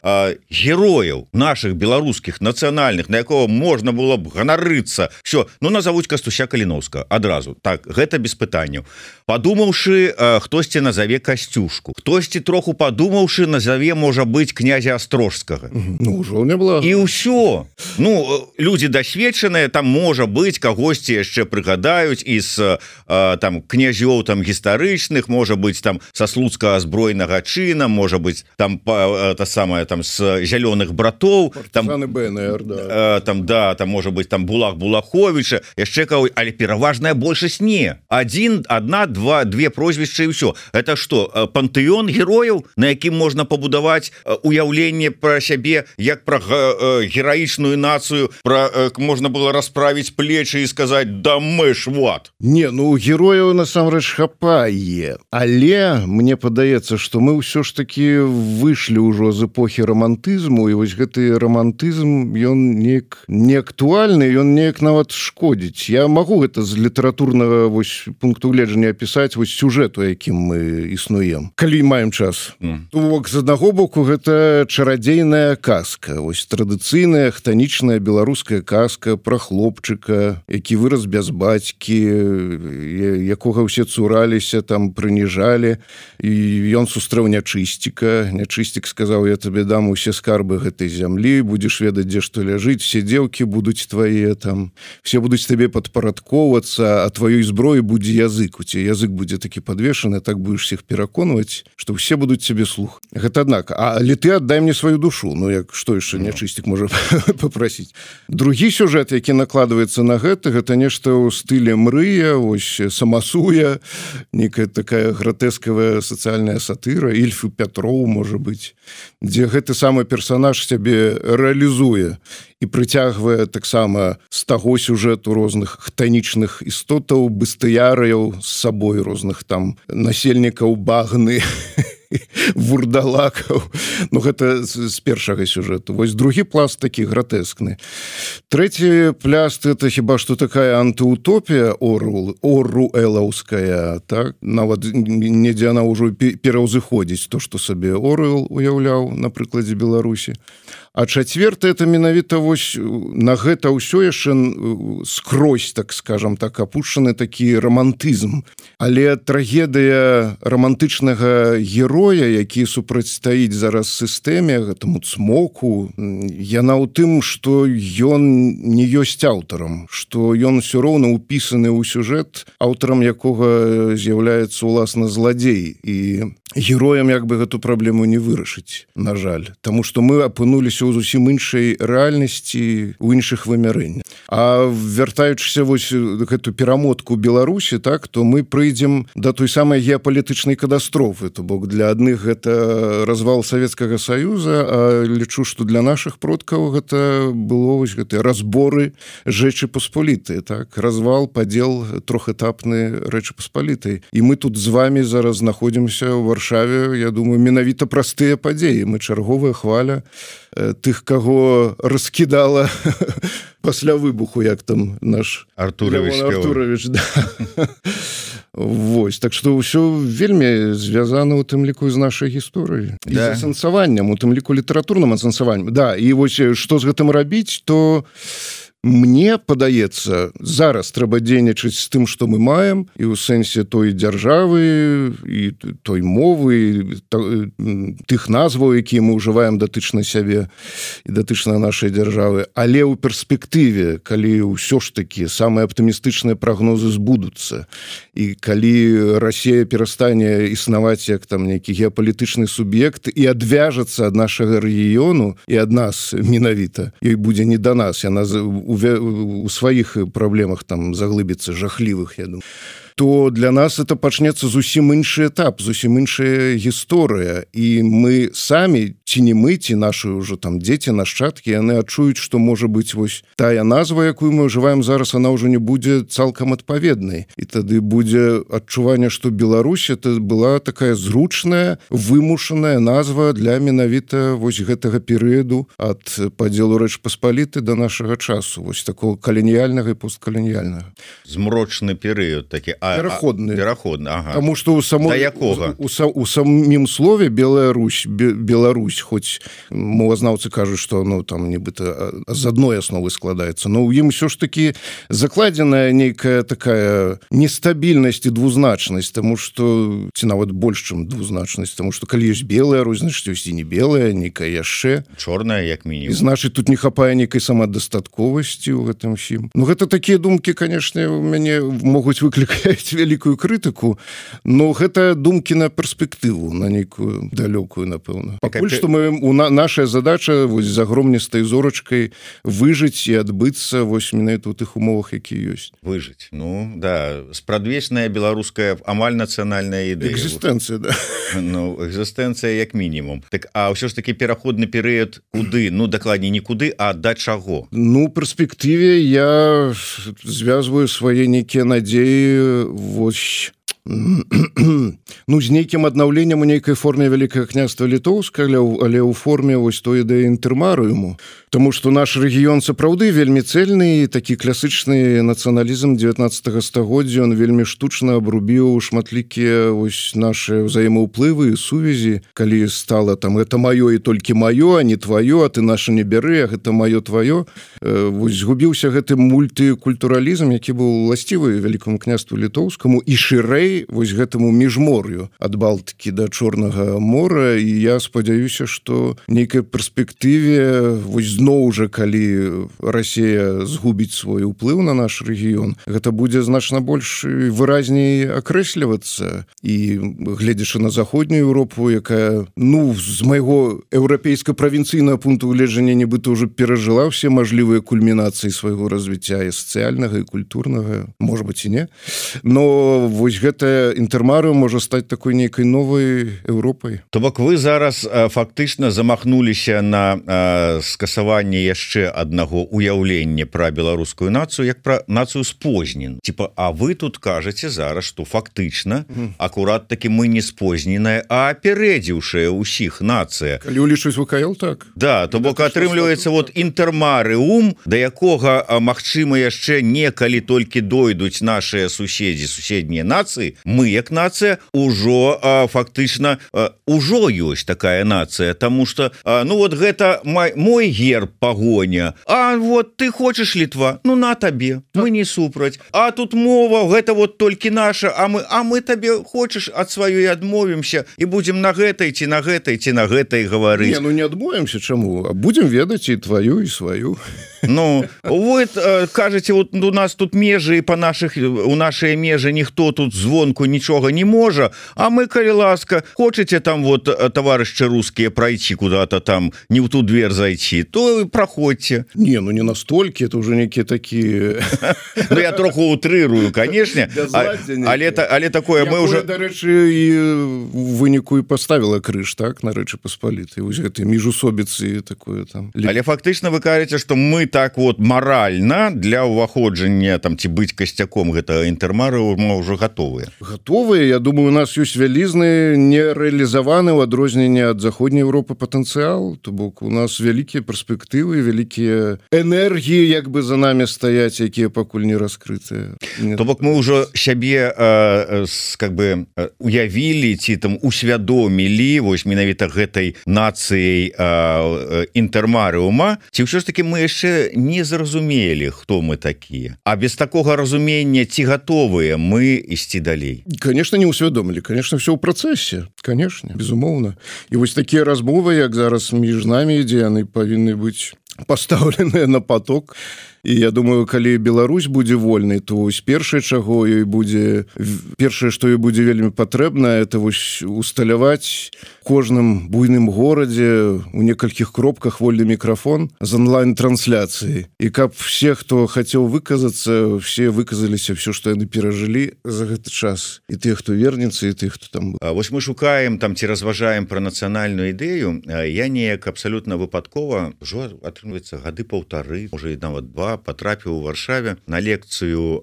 герояў наших беларускіх нацыянальных, на якого можна было б ганарыцца. Все, ну назовуць Кастуся Каліновскага адразу. Так, гэта без пытанняў. Падумаўшы, хтосьці назове Касцюшку. Хтосьці троху падумаўшы, назове, можа быць, князя Астрожскага. Ну, ўжо не было. І ўсё. Ну, людзі дасведчаныя, там можа быць, кагосьці яшчэ прыгадаюць з там князёў там гістарычных, можа быць там са слуцкага збройнага чына, можа быць там та самая там з зялёных братоў, там БНР, да. Там можа быць там Булах Булаховіча, яшчэ каго, але пераважная большасць не. Две прозвішчы і ўсё. Это што, пантэон герояў, на якім можна пабудаваць уяўленне пра сябе, як пра гераічную нацыю, можна было расправіць плечы і сказаць: да мы ж вот. Не, ну герояў насамрэч хапае, але мне падаецца, што мы ўсё ж такі выйшлі ўжо з эпохі романтызму, і вось гэты романтызм, ён неяк не актуальны, ён неяк нават шкодзіць. Я магу гэта з літаратурнага вось пункту гледжання апісаць вось сюжэту, якім мы існуем, калі маем час. З аднаго боку, гэта чарадзейная казка, вось традыцыйная хтанічная беларуская казка пра хлопчыка, які вырас без бацькі, якога ўсе цураліся, там прыніжалі, і ён сустрэў нячысціка. Нячысцік сказаў: я табе дам усе скарбы гэтай зямлі, будзеш ведаць, дзе што ляжыць, все дзеўкі будуць твае, там все будуць табе падпарадкоўвацца, а тваёй зброі будзе язык, у цябе язык будзе такі падвешаны, так будеш всех пераконваць, што ўсе будуць цябе слух. Гэта аднак, але ты аддай мне сваю душу. Ну, як што яшчэ нячысцік можа папрасіць. Другі сюжэт, які накладваецца на гэта нешта ў стылі Мрыя, вось Самасуя, некая такая гратэскавая сацыяльная сатыра, Ільф і Пятроў, можа быць, дзе гэты самы персанаж сябе рэалізуе і прыцягвае таксама з таго сюжэту розных хтанічных істотаў, быстыярыяў з сабой, розных там насельнікаў багны, вурдалакаў. Ну, гэта з першага сюжэту. Вось другі пласт такі гратэскны. Трэці пласт — это хіба што такая антыутопія оруэлаўская, так? Нават недзе яна ўжо пераўзыходзіць то, што сабе Оруэл уяўляў на прыкладзе Беларусі. А чацвёртае — это менавіта вось на гэта ўсё яшчэ скрозь, так скажам так, апушчаны такі романтызм. Але трагедыя романтычнага героя, які супрацьстаіць зараз сістэме, гэтаму цмоку, яна ў тым, што ён не ёсць аўтарам, што ён усё роўна ўпісаны ў сюжэт, аўтарам якога з'яўляецца уласна зладзей. І героям як бы гэту праблему не вырашыць, на жаль. Таму што мы апынуліся ў зусім іншай рэальнасці, у іншых вымярэннях. А вяртаючыся вось гэту перамотку Беларусі, так, то мы прыйдзем да той самай геапалітычнай катастрофы. То бок для адных гэта развал Савецкага Саюза, а лічу, што для нашых продкаў гэта было вось гэтыя разборы Рэчы Паспалітай, так, развал, падзел трохэтапны Рэчы Паспалітай. І мы тут з вами зараз знаходзімся ў Варшаве, я думаю, менавіта праз тыя падзеі. Мы чарговая хваля тых, каго раскідала пасля выбуху, як там наш Артурович, да. Вось, так што ўсё вельмі звязана у тым ліку з нашай гісторыяй, да. І з асэнсаваннем, у тым ліку літаратурным асэнсаваннем. Да, і вось што з гэтым рабіць, то мне падаецца, зараз трэба дзейнічаць з тым, што мы маем, і ў сэнсе той дзяржавы, і той мовы, тых назваў, якія мы ўжываем датычна сябе і датычна нашай дзяржавы. Але ў перспектыве, калі ўсё ж такі самыя аптымістычныя прагнозы збудуцца, і калі Расія перастане існаваць як там нейкі геапалітычны суб'ект і адвяжацца ад нашага рэгіёну і ад нас менавіта, ёй будзе не да нас, яна у сваіх праблемах там заглыбіцца жахлівых, я думаю, то для нас это пачнецца зусім іншы этап, зусім іншая гісторыя, і мы самі, ці не мы, ці нашы ўжо там дзеці, нашчадкі, яны адчуюць, што можа быць вось тая назва, якую мы ўжываем зараз, она ўжо не будзе цалкам адпаведнай, і тады будзе адчуванне, што Беларусь это была такая зручная, вымушаная назва для менавіта вось гэтага перыяду ад падзелу Рэч Паспалітай да нашага часу, вось такого каланіяльнага і посткаланіяльнага. Змрочны перыяд такі, пераходны, ага. Таму што у самім слове Беларусь, хоць мовазнаўцы кажуць, што там нібыта з адной асновы складаецца, но ў ім усё ж такі закладзеная нейкая такая нестабільнасць і двузначнасць, таму што ці нават больш, чым двузначнасць, таму што калі ёсць белая, значыць ёсць і не белая, нейкая яшчэ чорная, як мінімум. Значыць, тут не хапае нейкай самадастатковасці ў гэтым усім. Ну гэта такія думкі, канешне, у мяне могуць выклікаць вялікую крытыку, но гэта думкі на перспектыву, на нейкую далёкую, напэўна. Пакуль што наша задача вось з агромністай зорачкай выжыць і адбыцца вось менавіта ў тых умовах, якія ёсць. Выжыць. Ну, да, спрадвечная беларуская амаль нацыянальная ідэя. Экзістэнцыя, да. Ну, экзістэнцыя як мінімум. Так, а ўсё ж такі пераходны перыяд куды? Ну, дакладней, не куды, а да чаго? Ну, у перспектыве я звязваю свае нейкія надзеі вось ну, з нейкім аднаўленнем у нейкай форме Вялікае княства Літоўска, але ў форме вось той ідэі інтэрмарыуму. Таму што наш рэгіён сапраўды вельмі цэльны, такі класычны нацыяналізм 19 стагоддзя, ён вельмі штучна абрубіў шматлікія вось нашы ўзаемаўплывы і сувязі, калі стала там гэта маё і толькі маё, а не тваё, а ты наша не бяры, а гэта маё тваё. Вось згубіўся гэты мультыкультуралізм, які быў уласцівы Вялікаму княству Літоўскаму і шырэй вось гэтаму міжмор'ю ад Балтыкі да Чорнага мора, і я спадзяюся, што нейкай перспектыве вось зноў жа, калі Расія згубіць свой уплыў на наш рэгіён, гэта будзе значна больш выразней акрэслівацца. І гледзячы на заходнюю Еўропу, якая, ну, з майго еўрапейска-правінцыйнага пункту гледжання нібыта ўжо перажыла ўсе мажлівыя кульмінацыі свайго развіцця і сацыяльнага, і культурнага, можа быць і не. Но вось гэта інтэрмарыум можа стаць такой нейкай новай Еўропай. То бок вы зараз фактычна замахнуліся на скасаванне яшчэ аднаго уяўлення пра беларускую нацыю як пра нацыю спознен. Типа, а вы тут кажаце зараз, што фактычна акурат такі мы не спозненая, а апярэдзіўшая ўсіх нацыя. Калі улічваць ВКЛ, так. Да, то бок атрымліваецца вот інтэрмарыум, да якога магчыма яшчэ некалі толькі дойдуць нашыя суседзі, суседнія нацыі, мы як нацыя ўжо фактычна ўжо ёсць такая нацыя, таму што ну вот гэта мой герб пагоня, а вот ты хочаш Літва, ну на табе, мы не супраць, а тут мова гэта вот толькі наша, а мы табе хочаш ад сваёй адмовімся і будзем на гэтай ці на гэтай ці на гэтай гаварыць. Не, ну не адмовімся, чаму? А будзем ведаць і тваю, і сваю. Ну, вы кажаце, вот у нас тут межы, у нашыя межы ніхто тут звонку нічога не можа, а мы, калі ласка, хочаце там вот, таварышчы рускія, прайти куда-то там, не в ту дверь зайти, то проходьте. Не, ну не настолькі, это уже некие такие... Ну, я троху утрырую, конечно, але такое мы уже... Да рэчы, і выніку і поставила крыж, так, на Рэчы Паспалітай, вось гэтай міжусобіцы такое там. Але фактычна вы кажаце, што мы так вот маральна для ўваходжання там ці быць касцяком гэтага інтэрмарыума ўжо гатовыя. Гатовыя, я думаю, у нас ёсць вялізны нерэалізаваны ў адрозненне ад заходняй Еўропы патэнцыял, то бок у нас вялікія перспектывы, вялікія энергіі як бы за намі стаяць, якія пакуль не раскрытыя. То бок мы ўжо сябе как бы уявілі ці там усвядомілі вось менавіта гэтай нацыяй інтэрмарыума, ці ўсё ж таки мы яшчэ не зразумелі, хто мы такія. А без такога разумення ці гатовыя мы ісці далей? Конечно, не усвядомілі. Конечно, все ў працэсе. Конечно, безумоўна. І вось такія размовы, як зараз між намі ідзе, яны павінны быць пастаўленыя на поток. і я думаю, калі Беларусь будзе вольнай, то вось першае, чаго ёй будзе, першае, што ёй будзе вельмі патрэбна, это вось усталяваць кожным буйным горадзе у некалькіх кропках вольны мікрафон з онлайн-трансляцыяй, і каб все, хто хацеў выказацца, все выказаліся все, што яны перажылі за гэты час, і тых, хто вернецца, і тых, хто там быў. Вось мы шукаем там ці разважаем пра нацыянальную ідэю. Я неяк абсалютна выпадкова ўжо атрымліваецца гады паўтары, можа і нават 2, патрапіў у Варшаве на лекцыю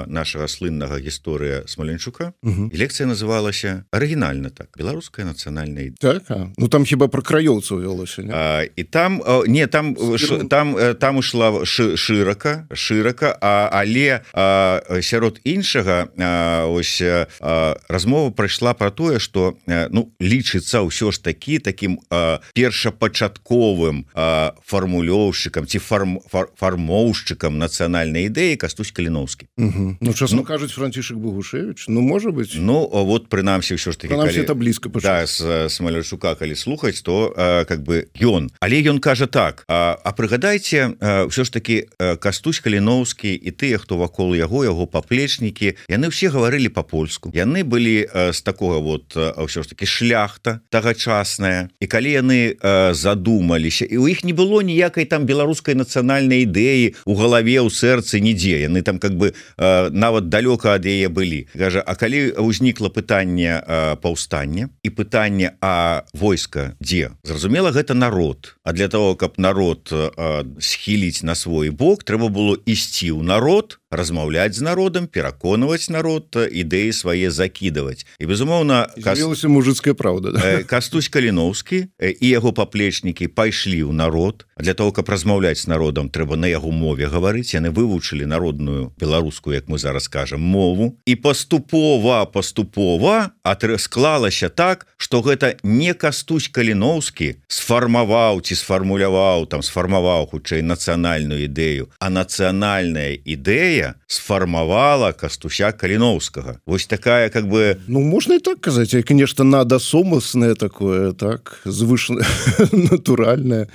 нашага слыннага гісторыя Смаленчука. І лекцыя называлася арыгінальна так, беларуская нацыянальная ідэя. Так, ну там хіба пра краёўцаў вялося, не? І там там ішла шырака, але сярод іншага ось размова прайшла пра тое, што лічыцца ўсё ж такі такім першапачатковым фармулёўшчыкам ці фармоўшчыкам нацыянальнай ідэі Кастусь Каліноўскі. Ну, часам кажуць Францішак Богушевіч, ну, можа быць. Ну, вот прынамсі ўсё ж такі, прынамсі это блізка пачаць. Да, з Смалянчука, калі слухаць, то как бы ён. Але ён кажа так, а прыгадайце, ўсё ж такі Кастусь Каліноўскі і тыя, хто вакол яго паплечнікі, яны ўсе гаварылі па-польску. Яны былі з такога вот ўсё ж такі шляхта тагачасная. І калі яны задумаліся, і ў іх не было ніякай там беларускай нацыянальнай ідэі у галаве, у сэрцы, нідзе. Яны там как бы нават далёка ад яе былі. Кажа, а калі ўзнікла пытанне паўстання і пытанне, а войска дзе? Зразумела, гэта народ. А для того, каб народ схіліць на свой бок, трэба было ісці ў народ, размаўляць з народам, пераконваць народ, ідэі свае закідаваць. І, безумоўна, з'явілася мужыцкая праўда. Кастусь Каліноўскі і яго паплечнікі пайшлі ў народ. Для того, каб размаўляць з народам, трэба на яго мове гаварыць. Яны вывучылі народную беларускую, як мы зараз кажам, мову. І паступова склалася так, што гэта не Кастусь Каліноўскі сфармаваў ці сфармуляваў, сфармаваў хутчэй нацыянальную ідэю, а нацыянальная ідэя сфармавала Кастуся Каліноўскага. Вось такая, как бы... Ну, можна і так казаць, як нешта надасомаснае такое, так, звышна натуральнае.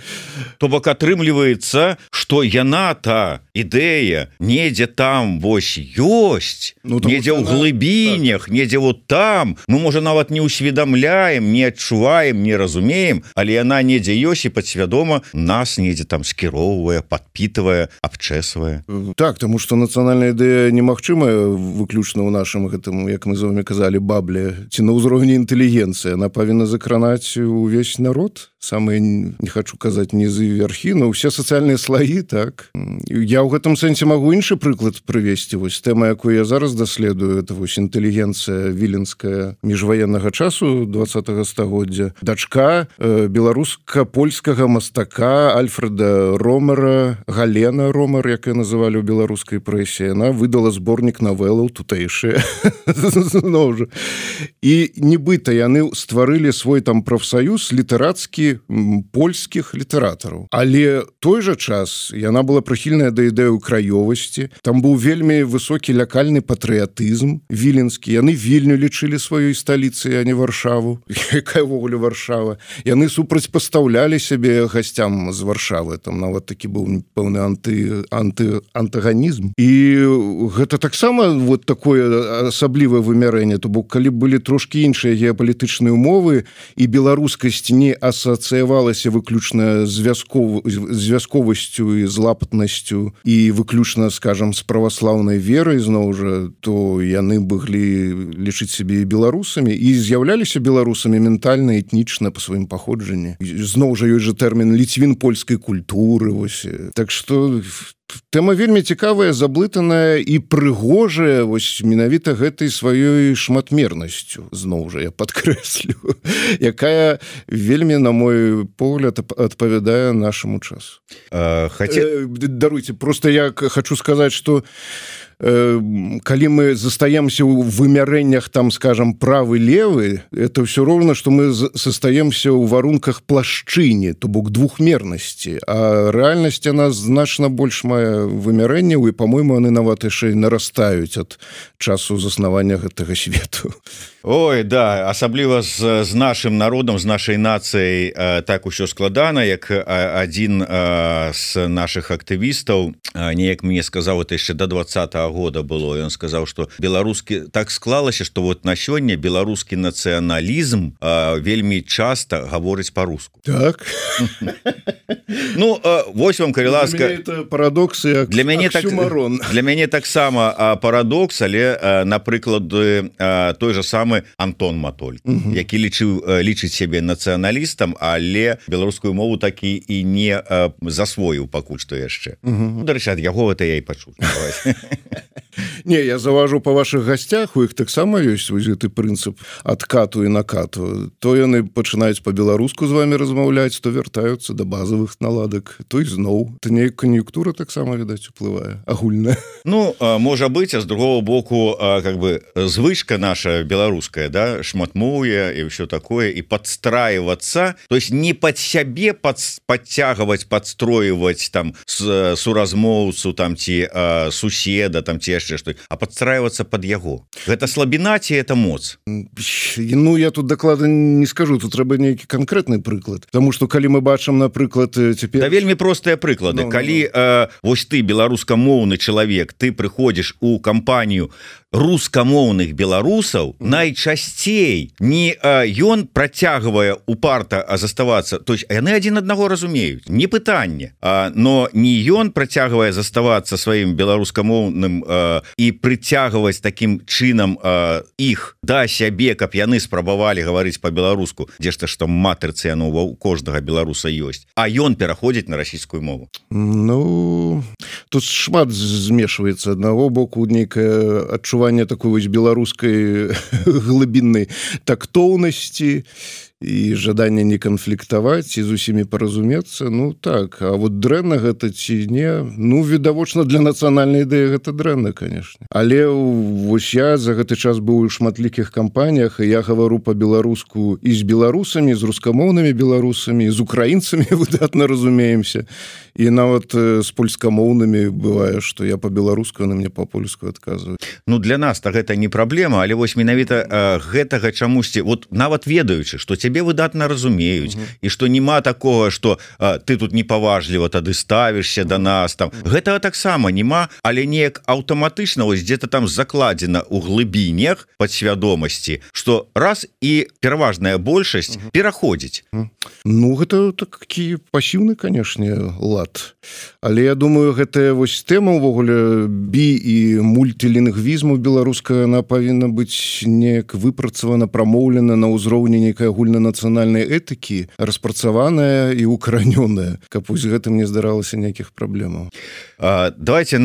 То бок атрымліваецца, што яна-та ідэя недзе там вось ёсць, недзе ў глыбінях, недзе вот там. Мы, можа, нават не усведамляем, не адчуваем, не разумеем, але яна недзе ёсць і падсвядома нас недзе там скіроўвае, падпітвае, абчэсвае. Так, таму што нацыянальная ідэя немагчымая выключна ў нашым гэтым, як мы з вами казалі, бабле, ці на ўзроўні інтэлігенцыі. Яна павінна закранаць увесь народ, самыя, не хачу казаць, нізы і вярхі, но ўсе сацыяльныя слаі, так. Я ў гэтым сэнсе магу іншы прыклад прывесці. Вось тэма, якую я зараз даследую, это вось інтэлігенцыя віленская міжваеннага часу 20-го стагоддзя. Дачка беларуска-польскага мастака Альфреда Ромера, Галена Ромер, як я называлі ў беларускай прэсе, яна выдала зборнік навелаў тутэйшыя. І нібыта яны стварылі свой там прафсаюз літарацкі польскіх літаратараў. Але той жа час яна была прыхільная да ідэю краёвасці. Там быў вельмі высокі лакальны патрыятызм віленскі. Яны Вільню лічылі сваёй сталіцай, а не Варшаву. Якая ўвогуле Варшава? Яны супрацьпастаўлялі сябе гасцям з Варшавы. Там нават такі быў пэўны антаганізм. І гэта таксама вот такое асаблівае вымярэнне. То бок, калі былі трошкі іншыя геапалітычныя умовы і беларускасць не асацыявалася выключна звязковасцю і злапатнасцю і выключна, скажам, з праваслаўнай верай, зноў жа, то яны былі лічыць сябе беларусамі і з'яўляліся беларусамі ментальна, этнічна па сваім паходжанні. Зноў жа, ёсць жа тэрмін ліцвін польскай культуры. Вось. Так што тэма вельмі цікавая, заблытаная і прыгожая вось менавіта гэтай сваёй шматмернасцю, зноў жа я падкрэслю, якая вельмі, на мой погляд, адпавядае нашаму часу. Даруйце, просто я хочу сказаць, што калі мы застаемся ў вымярэннях там, скажем, правы-левы, это все роўна, што мы застаемся ў варунках плашчыні, то бок двухмернасці, а рэальнасць яна значна больш мае вымярэнняў, і, па-мойму, яны нават яшчэ нарастаюць ад часу заснавання гэтага свету. Ой, да, асабліва з нашым народам, з нашай нацыяй так усё складана, як адзін з нашых актывістаў неяк мне сказаў, это яшчэ до 20-го года было, ён сказаў, что беларускі так склалася, что вот на сёння беларускі нацыяналізм вельмі часто гаворыць по-руску. Так. Ну, вось вам, калі ласка, это парадокс і для мяне таксама парадокс, але напрыклад той же самы Антон Матоль, які лічыць сябе нацыяналістам, але беларускую мову такі і не засвоіў пакуль што яшчэ. Дарэчы, ад яго это я і пачуў. Не, я заважу па вашых гасцях, у іх таксама ёсць вось гэты прынцып адкату і накату. То яны пачынаюць па-беларуску з вами размаўляць, то вяртаюцца да базавых наладак, то і зноў. То неяк кан'юнктура таксама, відаць, уплывае, агульная. Ну, можа быць, а з другого боку, как бы звычка наша беларуская, да, шматмоўе і ўсё такое, і падстраиваться, то есть не пад сябе подтягивать, подстроивать там суразмоўцу, там ці суседа, там ці яшчэ што, а подстраиваться под яго. Гэта слабіна ці это моц? Ну, я тут дакладна не скажу, тут трэба нейкі канкрэтны прыклад. Таму што калі мы бачым, напрыклад, цяпер... Да вельмі простыя прыклады. Калі вось ты, беларускамоўны чалавек, ты прыходзіш у кампанію рускамоўных беларусаў, найчасцей не ён працягвае упарта заставацца, то есть яны адзін аднаго разумеюць, не пытанне, но не ён працягвае заставацца сваім беларускамоўным і прыцягваць такім чынам іх да сябе, каб яны спрабавалі гаварыць па-беларуску, дзе ж што матырцы яно у кожнага беларуса ёсць, а ён пераходзіць на расійскую мову. Ну, тут шмат змешваецца. Аднаго боку нейкае адчуванне такой вось беларускай глыбіннай тактоўнасці і жаданне не канфліктаваць і з усімі паразумецца. Ну так, а вот дрэнна гэта ці не? Ну, відавочна, для нацыянальнай ідэі гэта дрэнна, конечно. Але вось я за гэты час быў у шматлікіх кампаніях, і я гавару па-беларуску і з беларусамі, з рускамоўнымі беларусамі, з украінцамі выдатна разумеемся. І нават з польскамоўнымі бывае, што я па-беларуску, яны мне па-польску адказваюць. Ну, для нас то гэта не праблема, але вось менавіта гэтага чамусьці, вот нават ведаючы, што цябе выдатна разумеюць, і што няма такога, што ты тут непаважліва тады ставішся да нас, там. Гэтага таксама няма, але неяк аўтаматычна вось дзе-то там закладзена ў глыбінях падсвядомасці, што раз і пераважная большасць пераходзіць. Ну, гэта такі пасіўны, канешне, лад. Але я думаю, гэтая вось тэма ўвогуле би- і мультилінгвізму беларуская, она павінна быць неяк выпрацавана, прамоўлена на ўзроўні нейкай агульнанацыянальнай этыкі, распрацаваная і укаранёная, каб вось гэтым не здаралася ніякіх праблемаў. Давайте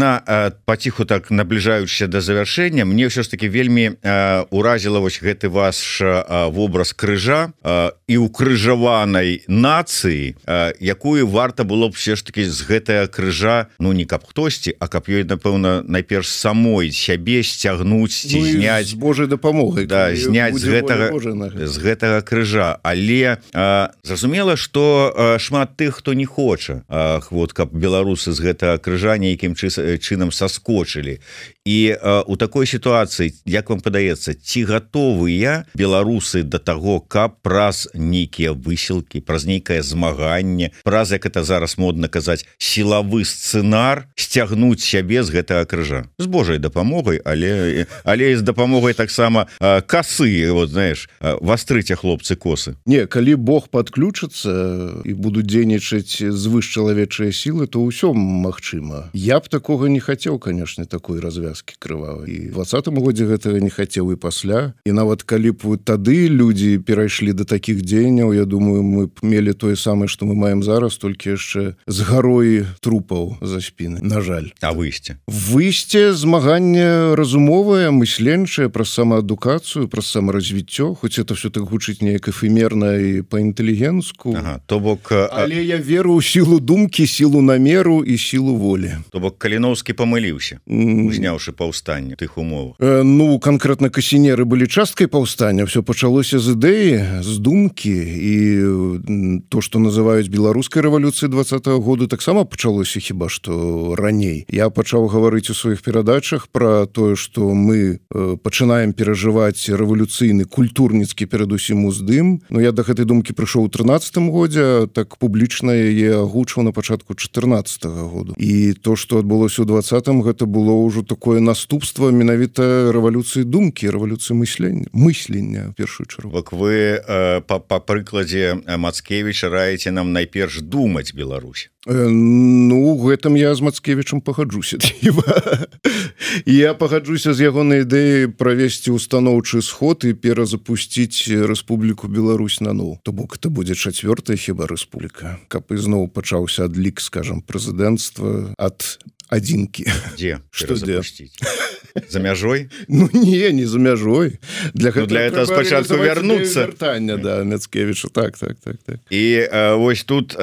паціху так набліжаючыся да завяршэння, мне ўсё ж таки вельмі уразіла вось гэты ваш вобраз крыжа і укрыжаванай нацыі, якую варта было б все ж таки з гэтага крыжа, ну не каб хтосьці, а каб ёй, напэўна, найперш самой сябе сцягнуць ці зняць, з Божай дапамогай, да, зняць з гэтага крыжа. Але зразумела, што шмат тых, хто не хоча, вот каб беларусы з гэтага крыжа нейкім чынам саскочылі. І у такой сітуацыі, як вам падаецца, ці гатовыя беларусы да таго, каб праз нейкія высілкі, праз нейкае змаганне, праз, як это зараз модна казаць, сілавы сцэнар сцягнуць сябе з гэтага крыжа? З Божай дапамогай, але і з дапамогай таксама касы, вот, знаеш, вастрыце, хлопцы, косы. Не, калі Бог падключыцца і будуць дзейнічаць звышчалавечыя сілы, то ўсё магчыма. Я б такога не хацеў, конечно, такой развязкі крывавай. І ў 20-м годзе гэтага не хацеў і пасля. І нават калі б тады людзі перайшлі да такіх дзеянняў, я думаю, мы б мелі тое самае, што мы маем зараз, толькі яшчэ з гарой трупаў за спіны, на жаль. А выйсце? Выйсце, змаганне разумовае, мысленчае, праз самаадукацыю, праз самаразвіццё, хоць это все так гучыць неяк эфемерна і па-інтэлігенску. Ага, то бок... Але я веру ў сілу думкі, сілу намеру і сілу волі. То бок Каліноўскі памыліўся, узняўшы першы паўстанне тых умовах? Ну, канкрэтна касінеры былі часткай паўстання, все пачалося з ідэі, з думкі, і то, што называюць беларускай рэвалюцыі 20-го году, таксама пачалося хіба што раней. Я пачаў гаварыць у сваіх перадачах пра тое, што мы пачынаем перажываць рэвалюцыйны культурніцкі перадусім уздым. Ну, я да гэтай думкі прыйшоў у 13-м годзе, так публічна яе агучваў на пачатку 14-го году. І то, што адбылося ў 20-м, гэта было ўжо такое наступства менавіта рэвалюцыі думкі, рэвалюцыі мыслення, в першую чаргу. Вак вы па прыкладзе Мацкевіча раіце нам найперш думаць Беларусь? Ну, гэтым я з Мацкевічам пагаджуся. Я пагаджуся з ягонай ідэяй правесці устаноўчы сход і перазапусціць Рэспубліку Беларусь наноў. То бок это будзе 4-я хіба рэспубліка, каб ізноў пачаўся адлік, скажам, прэзідэнцтва ад адзінкі. Дзе? Што запусціць? За мяжой? Ну не за мяжой. Для этого спачатку вярнуцца. Вяртання, да, Мацкевіча, так. І вось тут,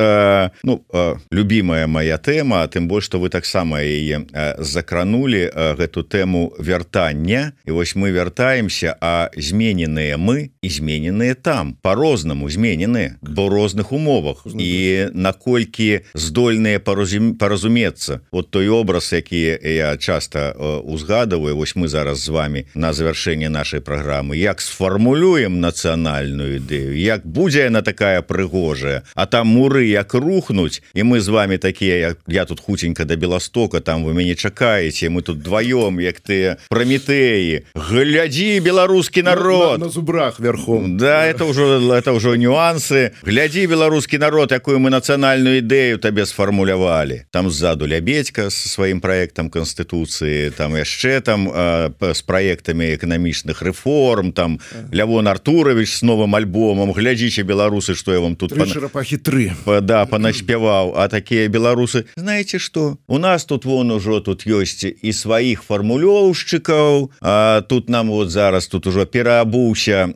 любімая моя тэма, а тым больш, што вы таксама яе закранулі, гэту тэму вяртання, і вось мы вяртаемся, а змененыя мы і змененыя там, по-рознаму змененыя, бо розных умовах. І наколькі здольныя паразумецца. Вот той образ, які я часто узгадываю, вось мы зараз з вами на завяршэнне нашай праграмы, як сфармулюем нацыянальную ідэю, як будзе яна такая прыгожая, а там муры як рухнуць, і мы з вами такія, я тут хутенька да Беластока, там вы мяне чакаеце, мы тут дваём, як тыя Прамітэі. Глядзі, беларускі народ! На зубрах верхом. Да, это ўжо нюансы. Глядзі, беларускі народ, якую мы нацыянальную ідэю табе сфармулявалі. Там ззаду Лябедька з сваім праектам Канстытуцыі, там яшчэ там з праектамі эканамічных рэформ, там Лявон Артурович з новым альбомам. Глядзіце, беларусы, што я вам тут Чарапахі 3. Да, панаспяваў. А такія беларусы, знаеце што? У нас тут вон ужо тут ёсць і сваіх фармулёўшчыкаў, а тут нам вот зараз тут ужо пераабуўся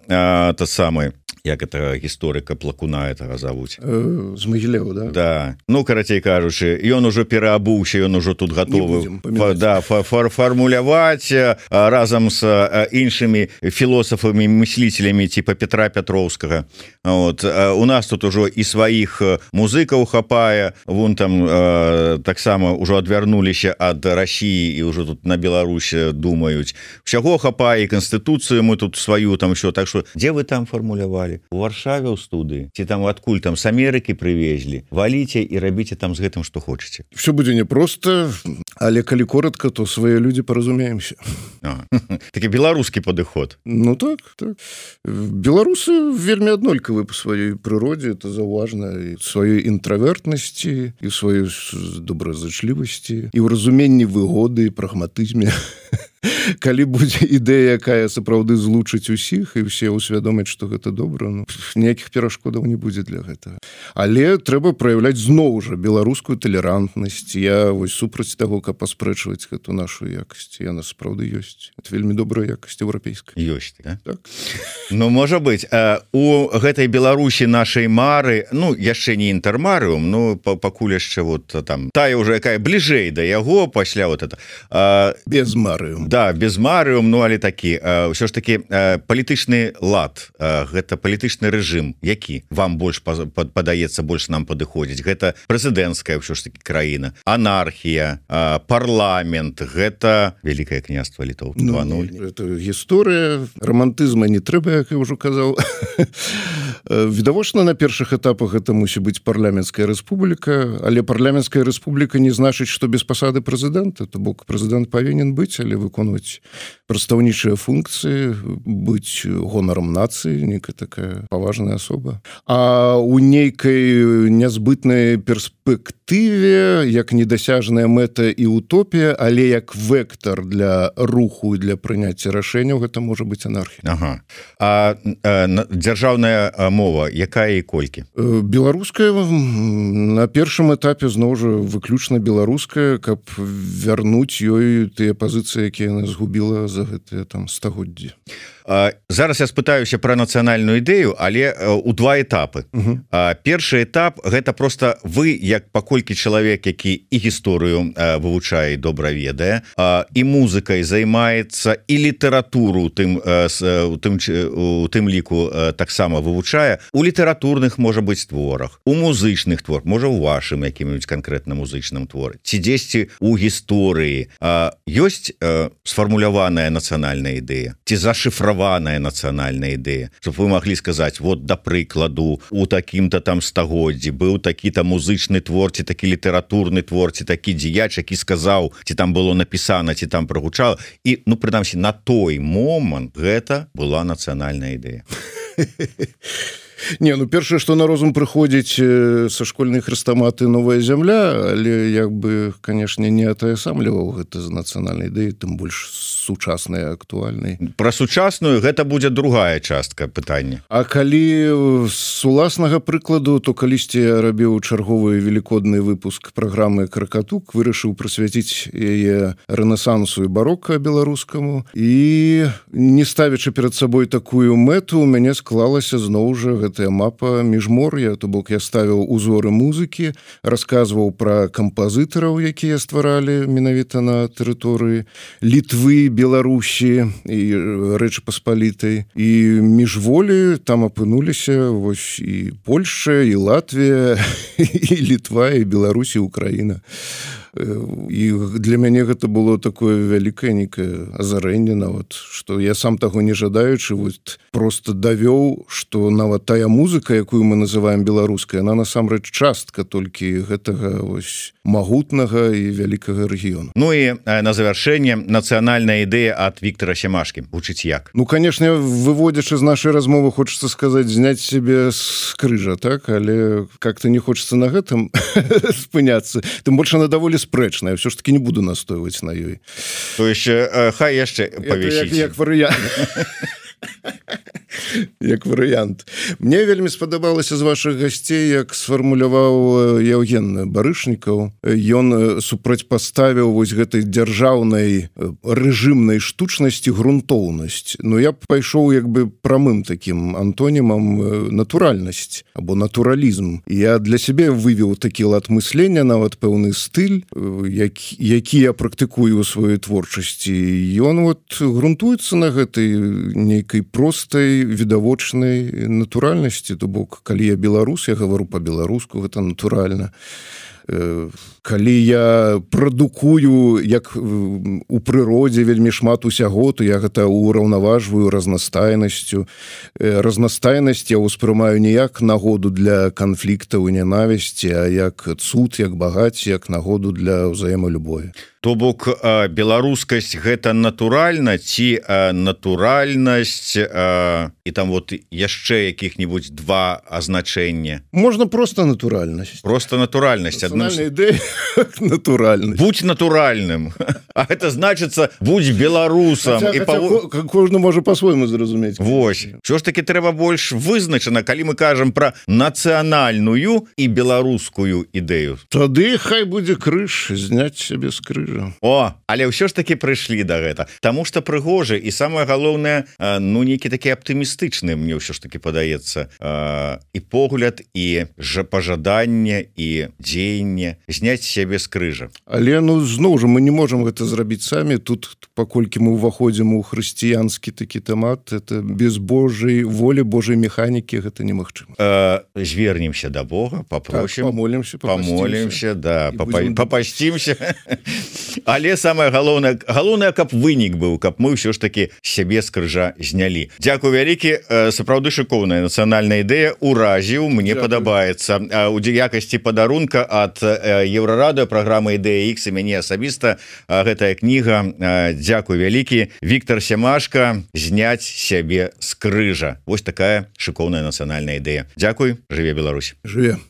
тот самы, як это гісторыка Плакуна этого завуць. З Магілева, да? Да. Ну, карацей кажучы, ён ужо пераабуўся, ён ужо тут гатовы фармуляваць разам з іншымі філосафамі, мыслителямі типа Петра Пятроўскага. Вот. У нас тут ужо і сваіх музыкаў хапае, вон там таксама ўжо адвярнуліся ад Расіі і ўжо тут на Беларусь думаюць. Усяго хапае, і Канстытуцыю мы тут сваю там що. Так што, дзе вы там фармулявалі? У Варшаве ў студыі, ці там адкуль там з Амерыкі прывезлі, валіце і рабіце там з гэтым што хочаце. Все будзе непросто, але калі коротко, то свае людзі паразумеемся. Такі беларускі падыход. Ну так. Беларусы вельмі аднолькавы па сваёй прыродзе, это заўважна, і сваёй інтравертнасці, і сваёй добразычлівасці, і ў разуменні выгоды, і прагматызме. Калі будзе ідэя, якая сапраўды злучыць усіх, і ўсе ўсвядомяць, што гэта добра, ну, ніякіх перашкодаў не будзе для гэтага. Але трэба праяўляць зноў жа беларускую талерантнасць. Я вось супраць таго, каб паспрэчваць гэту нашу якасць. Яна сапраўды ёсць. Это вельмі добрая якасць еўрапейская. Ёсць, да? Так. Ну, можа быць, у гэтай Беларусі нашай мары, ну, яшчэ не інтэрмарыум, ну, пакуль яшчэ вот там, тая ўжо якая бліжэй да яго, пасля вот это. Без марыум. Да, без марыум, ну, але такі, ўсё ж такі палітычны лад, гэта палітычны рэжым, які вам больш падаецца, больш нам падыходзіць. Гэта прэзідэнцкая ўсё ж такі краіна, анархія, парламент, гэта Вялікае княства Літоў 2.0. Это гісторыя, романтызма не трэба, як я ўжо казаў. Відавочна, на першых этапах гэта мусіць быць парламенцкая рэспубліка, але парламенцкая рэспубліка не значыць, што без пасады прэзідэнта, то бок прэзідэнт павінен быць, але выконваць прадстаўнічыя функцыі, быць гонарам нацыі, некая такая паважная асоба. А ў нейкай нязбытнай перспектыве, як недасяжная мэта і утопія, але як вектор для руху і для прыняцця рашэнняў, гэта можа быць анархія. Ага. А дзяржаўная мова, якая і колькі? Беларуская на першым этапе зноў жа выключна беларуская, каб вярнуць ёй тыя пазіцыі, якія яна згубіла за гэтыя там стагоддзі. Зараз я спытаюся про нацыянальную ідэю, але у два этапы. Першы этап гэта просто вы як паколькі чалавек, які і гісторыю вывучае, добра ведае, і музыкай займаецца, і літаратуру у тым ліку таксама вывучае, у літаратурных можа быць творах, у музычных твор, можа у вашым якім-нибудь канкрэтна музычным творы, ці дзесьці у гісторыі ёсць сфармуляваная нацыянальная ідэя, ці зашифраваная нацыянальная ідэя, щоб вы маглі сказаць, вот да прыкладу у такім-то там стагоддзі быў такі-то музычны твор, ці такі літаратурны твор, ці такі дзеяч, які сказаў, ці там было напісана, ці там прагучала, і ну прынамсі на той момант гэта была нацыянальная ідэя. Не, ну першае, што на розум прыходзіць са школьнай хрэстаматы «Новая зямля», але як бы, канешне, не атаясамліваў гэта з нацыянальнай ідэі, тым больш сучаснай, актуальнай. Пра сучасную гэта будзе другая частка пытання. А калі з уласнага прыкладу, то калісьці я рабіў чарговы велікодны выпуск праграмы «Кракатук», вырашыў прысвяціць яе рэнесансу і барока беларускаму, і не ставячы перад сабой такую мэту, у мяне склалася зноў жа гэтая мапа міжмор'я, то бок я ставіў узоры музыкі, расказваў пра кампазітараў, якія стваралі менавіта на тэрыторыі Літвы, Беларусі і Рэчы Паспалітай. І міжволі там апынуліся вось і Польшча, і Латвія, і Літва, і Беларусь, і Украіна. І для мяне гэта было такое вялікае нейкае азарэнне нават, што я сам таго не жадаючы вот просто давёў, што нават тая музыка, якую мы называем беларускай, она насамрэч частка толькі гэтага вось магутнага і вялікага рэгіёну. Ну і на завяршэнне нацыянальная ідэя ад Віктара Сямашкі. Гучыць як? Ну, канешне, выводзячы з нашай размовы, хочацца сказаць, зняць сябе з крыжа, так? Але как-то не хочацца на гэтым спыняцца. Тым больш она даволі спрэчная, все ж таки не буду настойваць на ёй. То яшчэ хай яшчэ павесіць. Як варыянт. Як варыянт. Мне вельмі спадабалася з вашых гасцей, як сфармуляваў Яўген Барышнікаў. Ён супрацьпаставіў вось гэтай дзяржаўнай рэжымнай штучнасці грунтоўнасць. Но я пайшоў як бы прамым такім антонімам натуральнасць або натуралізм. Я для сябе вывеў такі лад мыслення, нават пэўны стыль, які я практыкую ў сваёй творчасці. Ён вот грунтуецца на гэтай нейкай простай відавочнай натуральнасці, то бок калі я беларус, я гавару па-беларуску, гэта натуральна. Калі я прадукую як у прыродзе вельмі шмат усяго, то я гэта ўраўнаважваю разнастайнасцю. Разнастайнасць я ўспрымаю не як нагоду для канфліктаў і ненавісці, а як цуд, як багацце, як нагоду для ўзаемалюбові. То бок беларускасць гэта натуральна ці натуральнасць і там вот яшчэ якіх-нибудь два азначэння? Можна просто натуральнасць. Просто натуральнасць. Нацыянальная ідэя натуральнасць. Будь натуральным. А гэта значыцца будь беларусам. Кожны можа па-свойму зразумець. Вось. Що ж таки трэба больш вызначана, калі мы кажам пра нацыянальную і беларускую ідэю. Тады хай будзе крыж, зняць сябе з крыжа. О, але ўсё ж таки прыйшлі да гэта. Таму што прыгожа і самае галоўнае, ну нейкі такі аптымістычны, мне ўсё ж таки падаецца, і погляд, і пажаданне, і дзеянне зняць сябе з крыжа. Але ну зноў жа мы не можам гэта зрабіць самі. Тут паколькі мы ўваходзім у хрысціянскі такі тэмат, это без Божай волі, Божай механікі гэта немагчыма. Звернемся да Бога, папросім, так, памолімся, да, папасцімся. Але самае галоўнае, каб вынік быў, каб мы ўсё ж таки сябе з крыжа знялі. Дзякуй вялікі, сапраўды шыкоўная нацыянальная ідэя, уразіў, мне падабаецца. У якасці падарунка ад Еўрарадыё праграмы «Ідэя Х» і мяне асабіста гэтая кніга. Дзякуй вялікі. Віктар Сямашка, зняць сябе з крыжа. Вось такая шыкоўная нацыянальная ідэя. Дзякуй, жыве Беларусь. Жыве.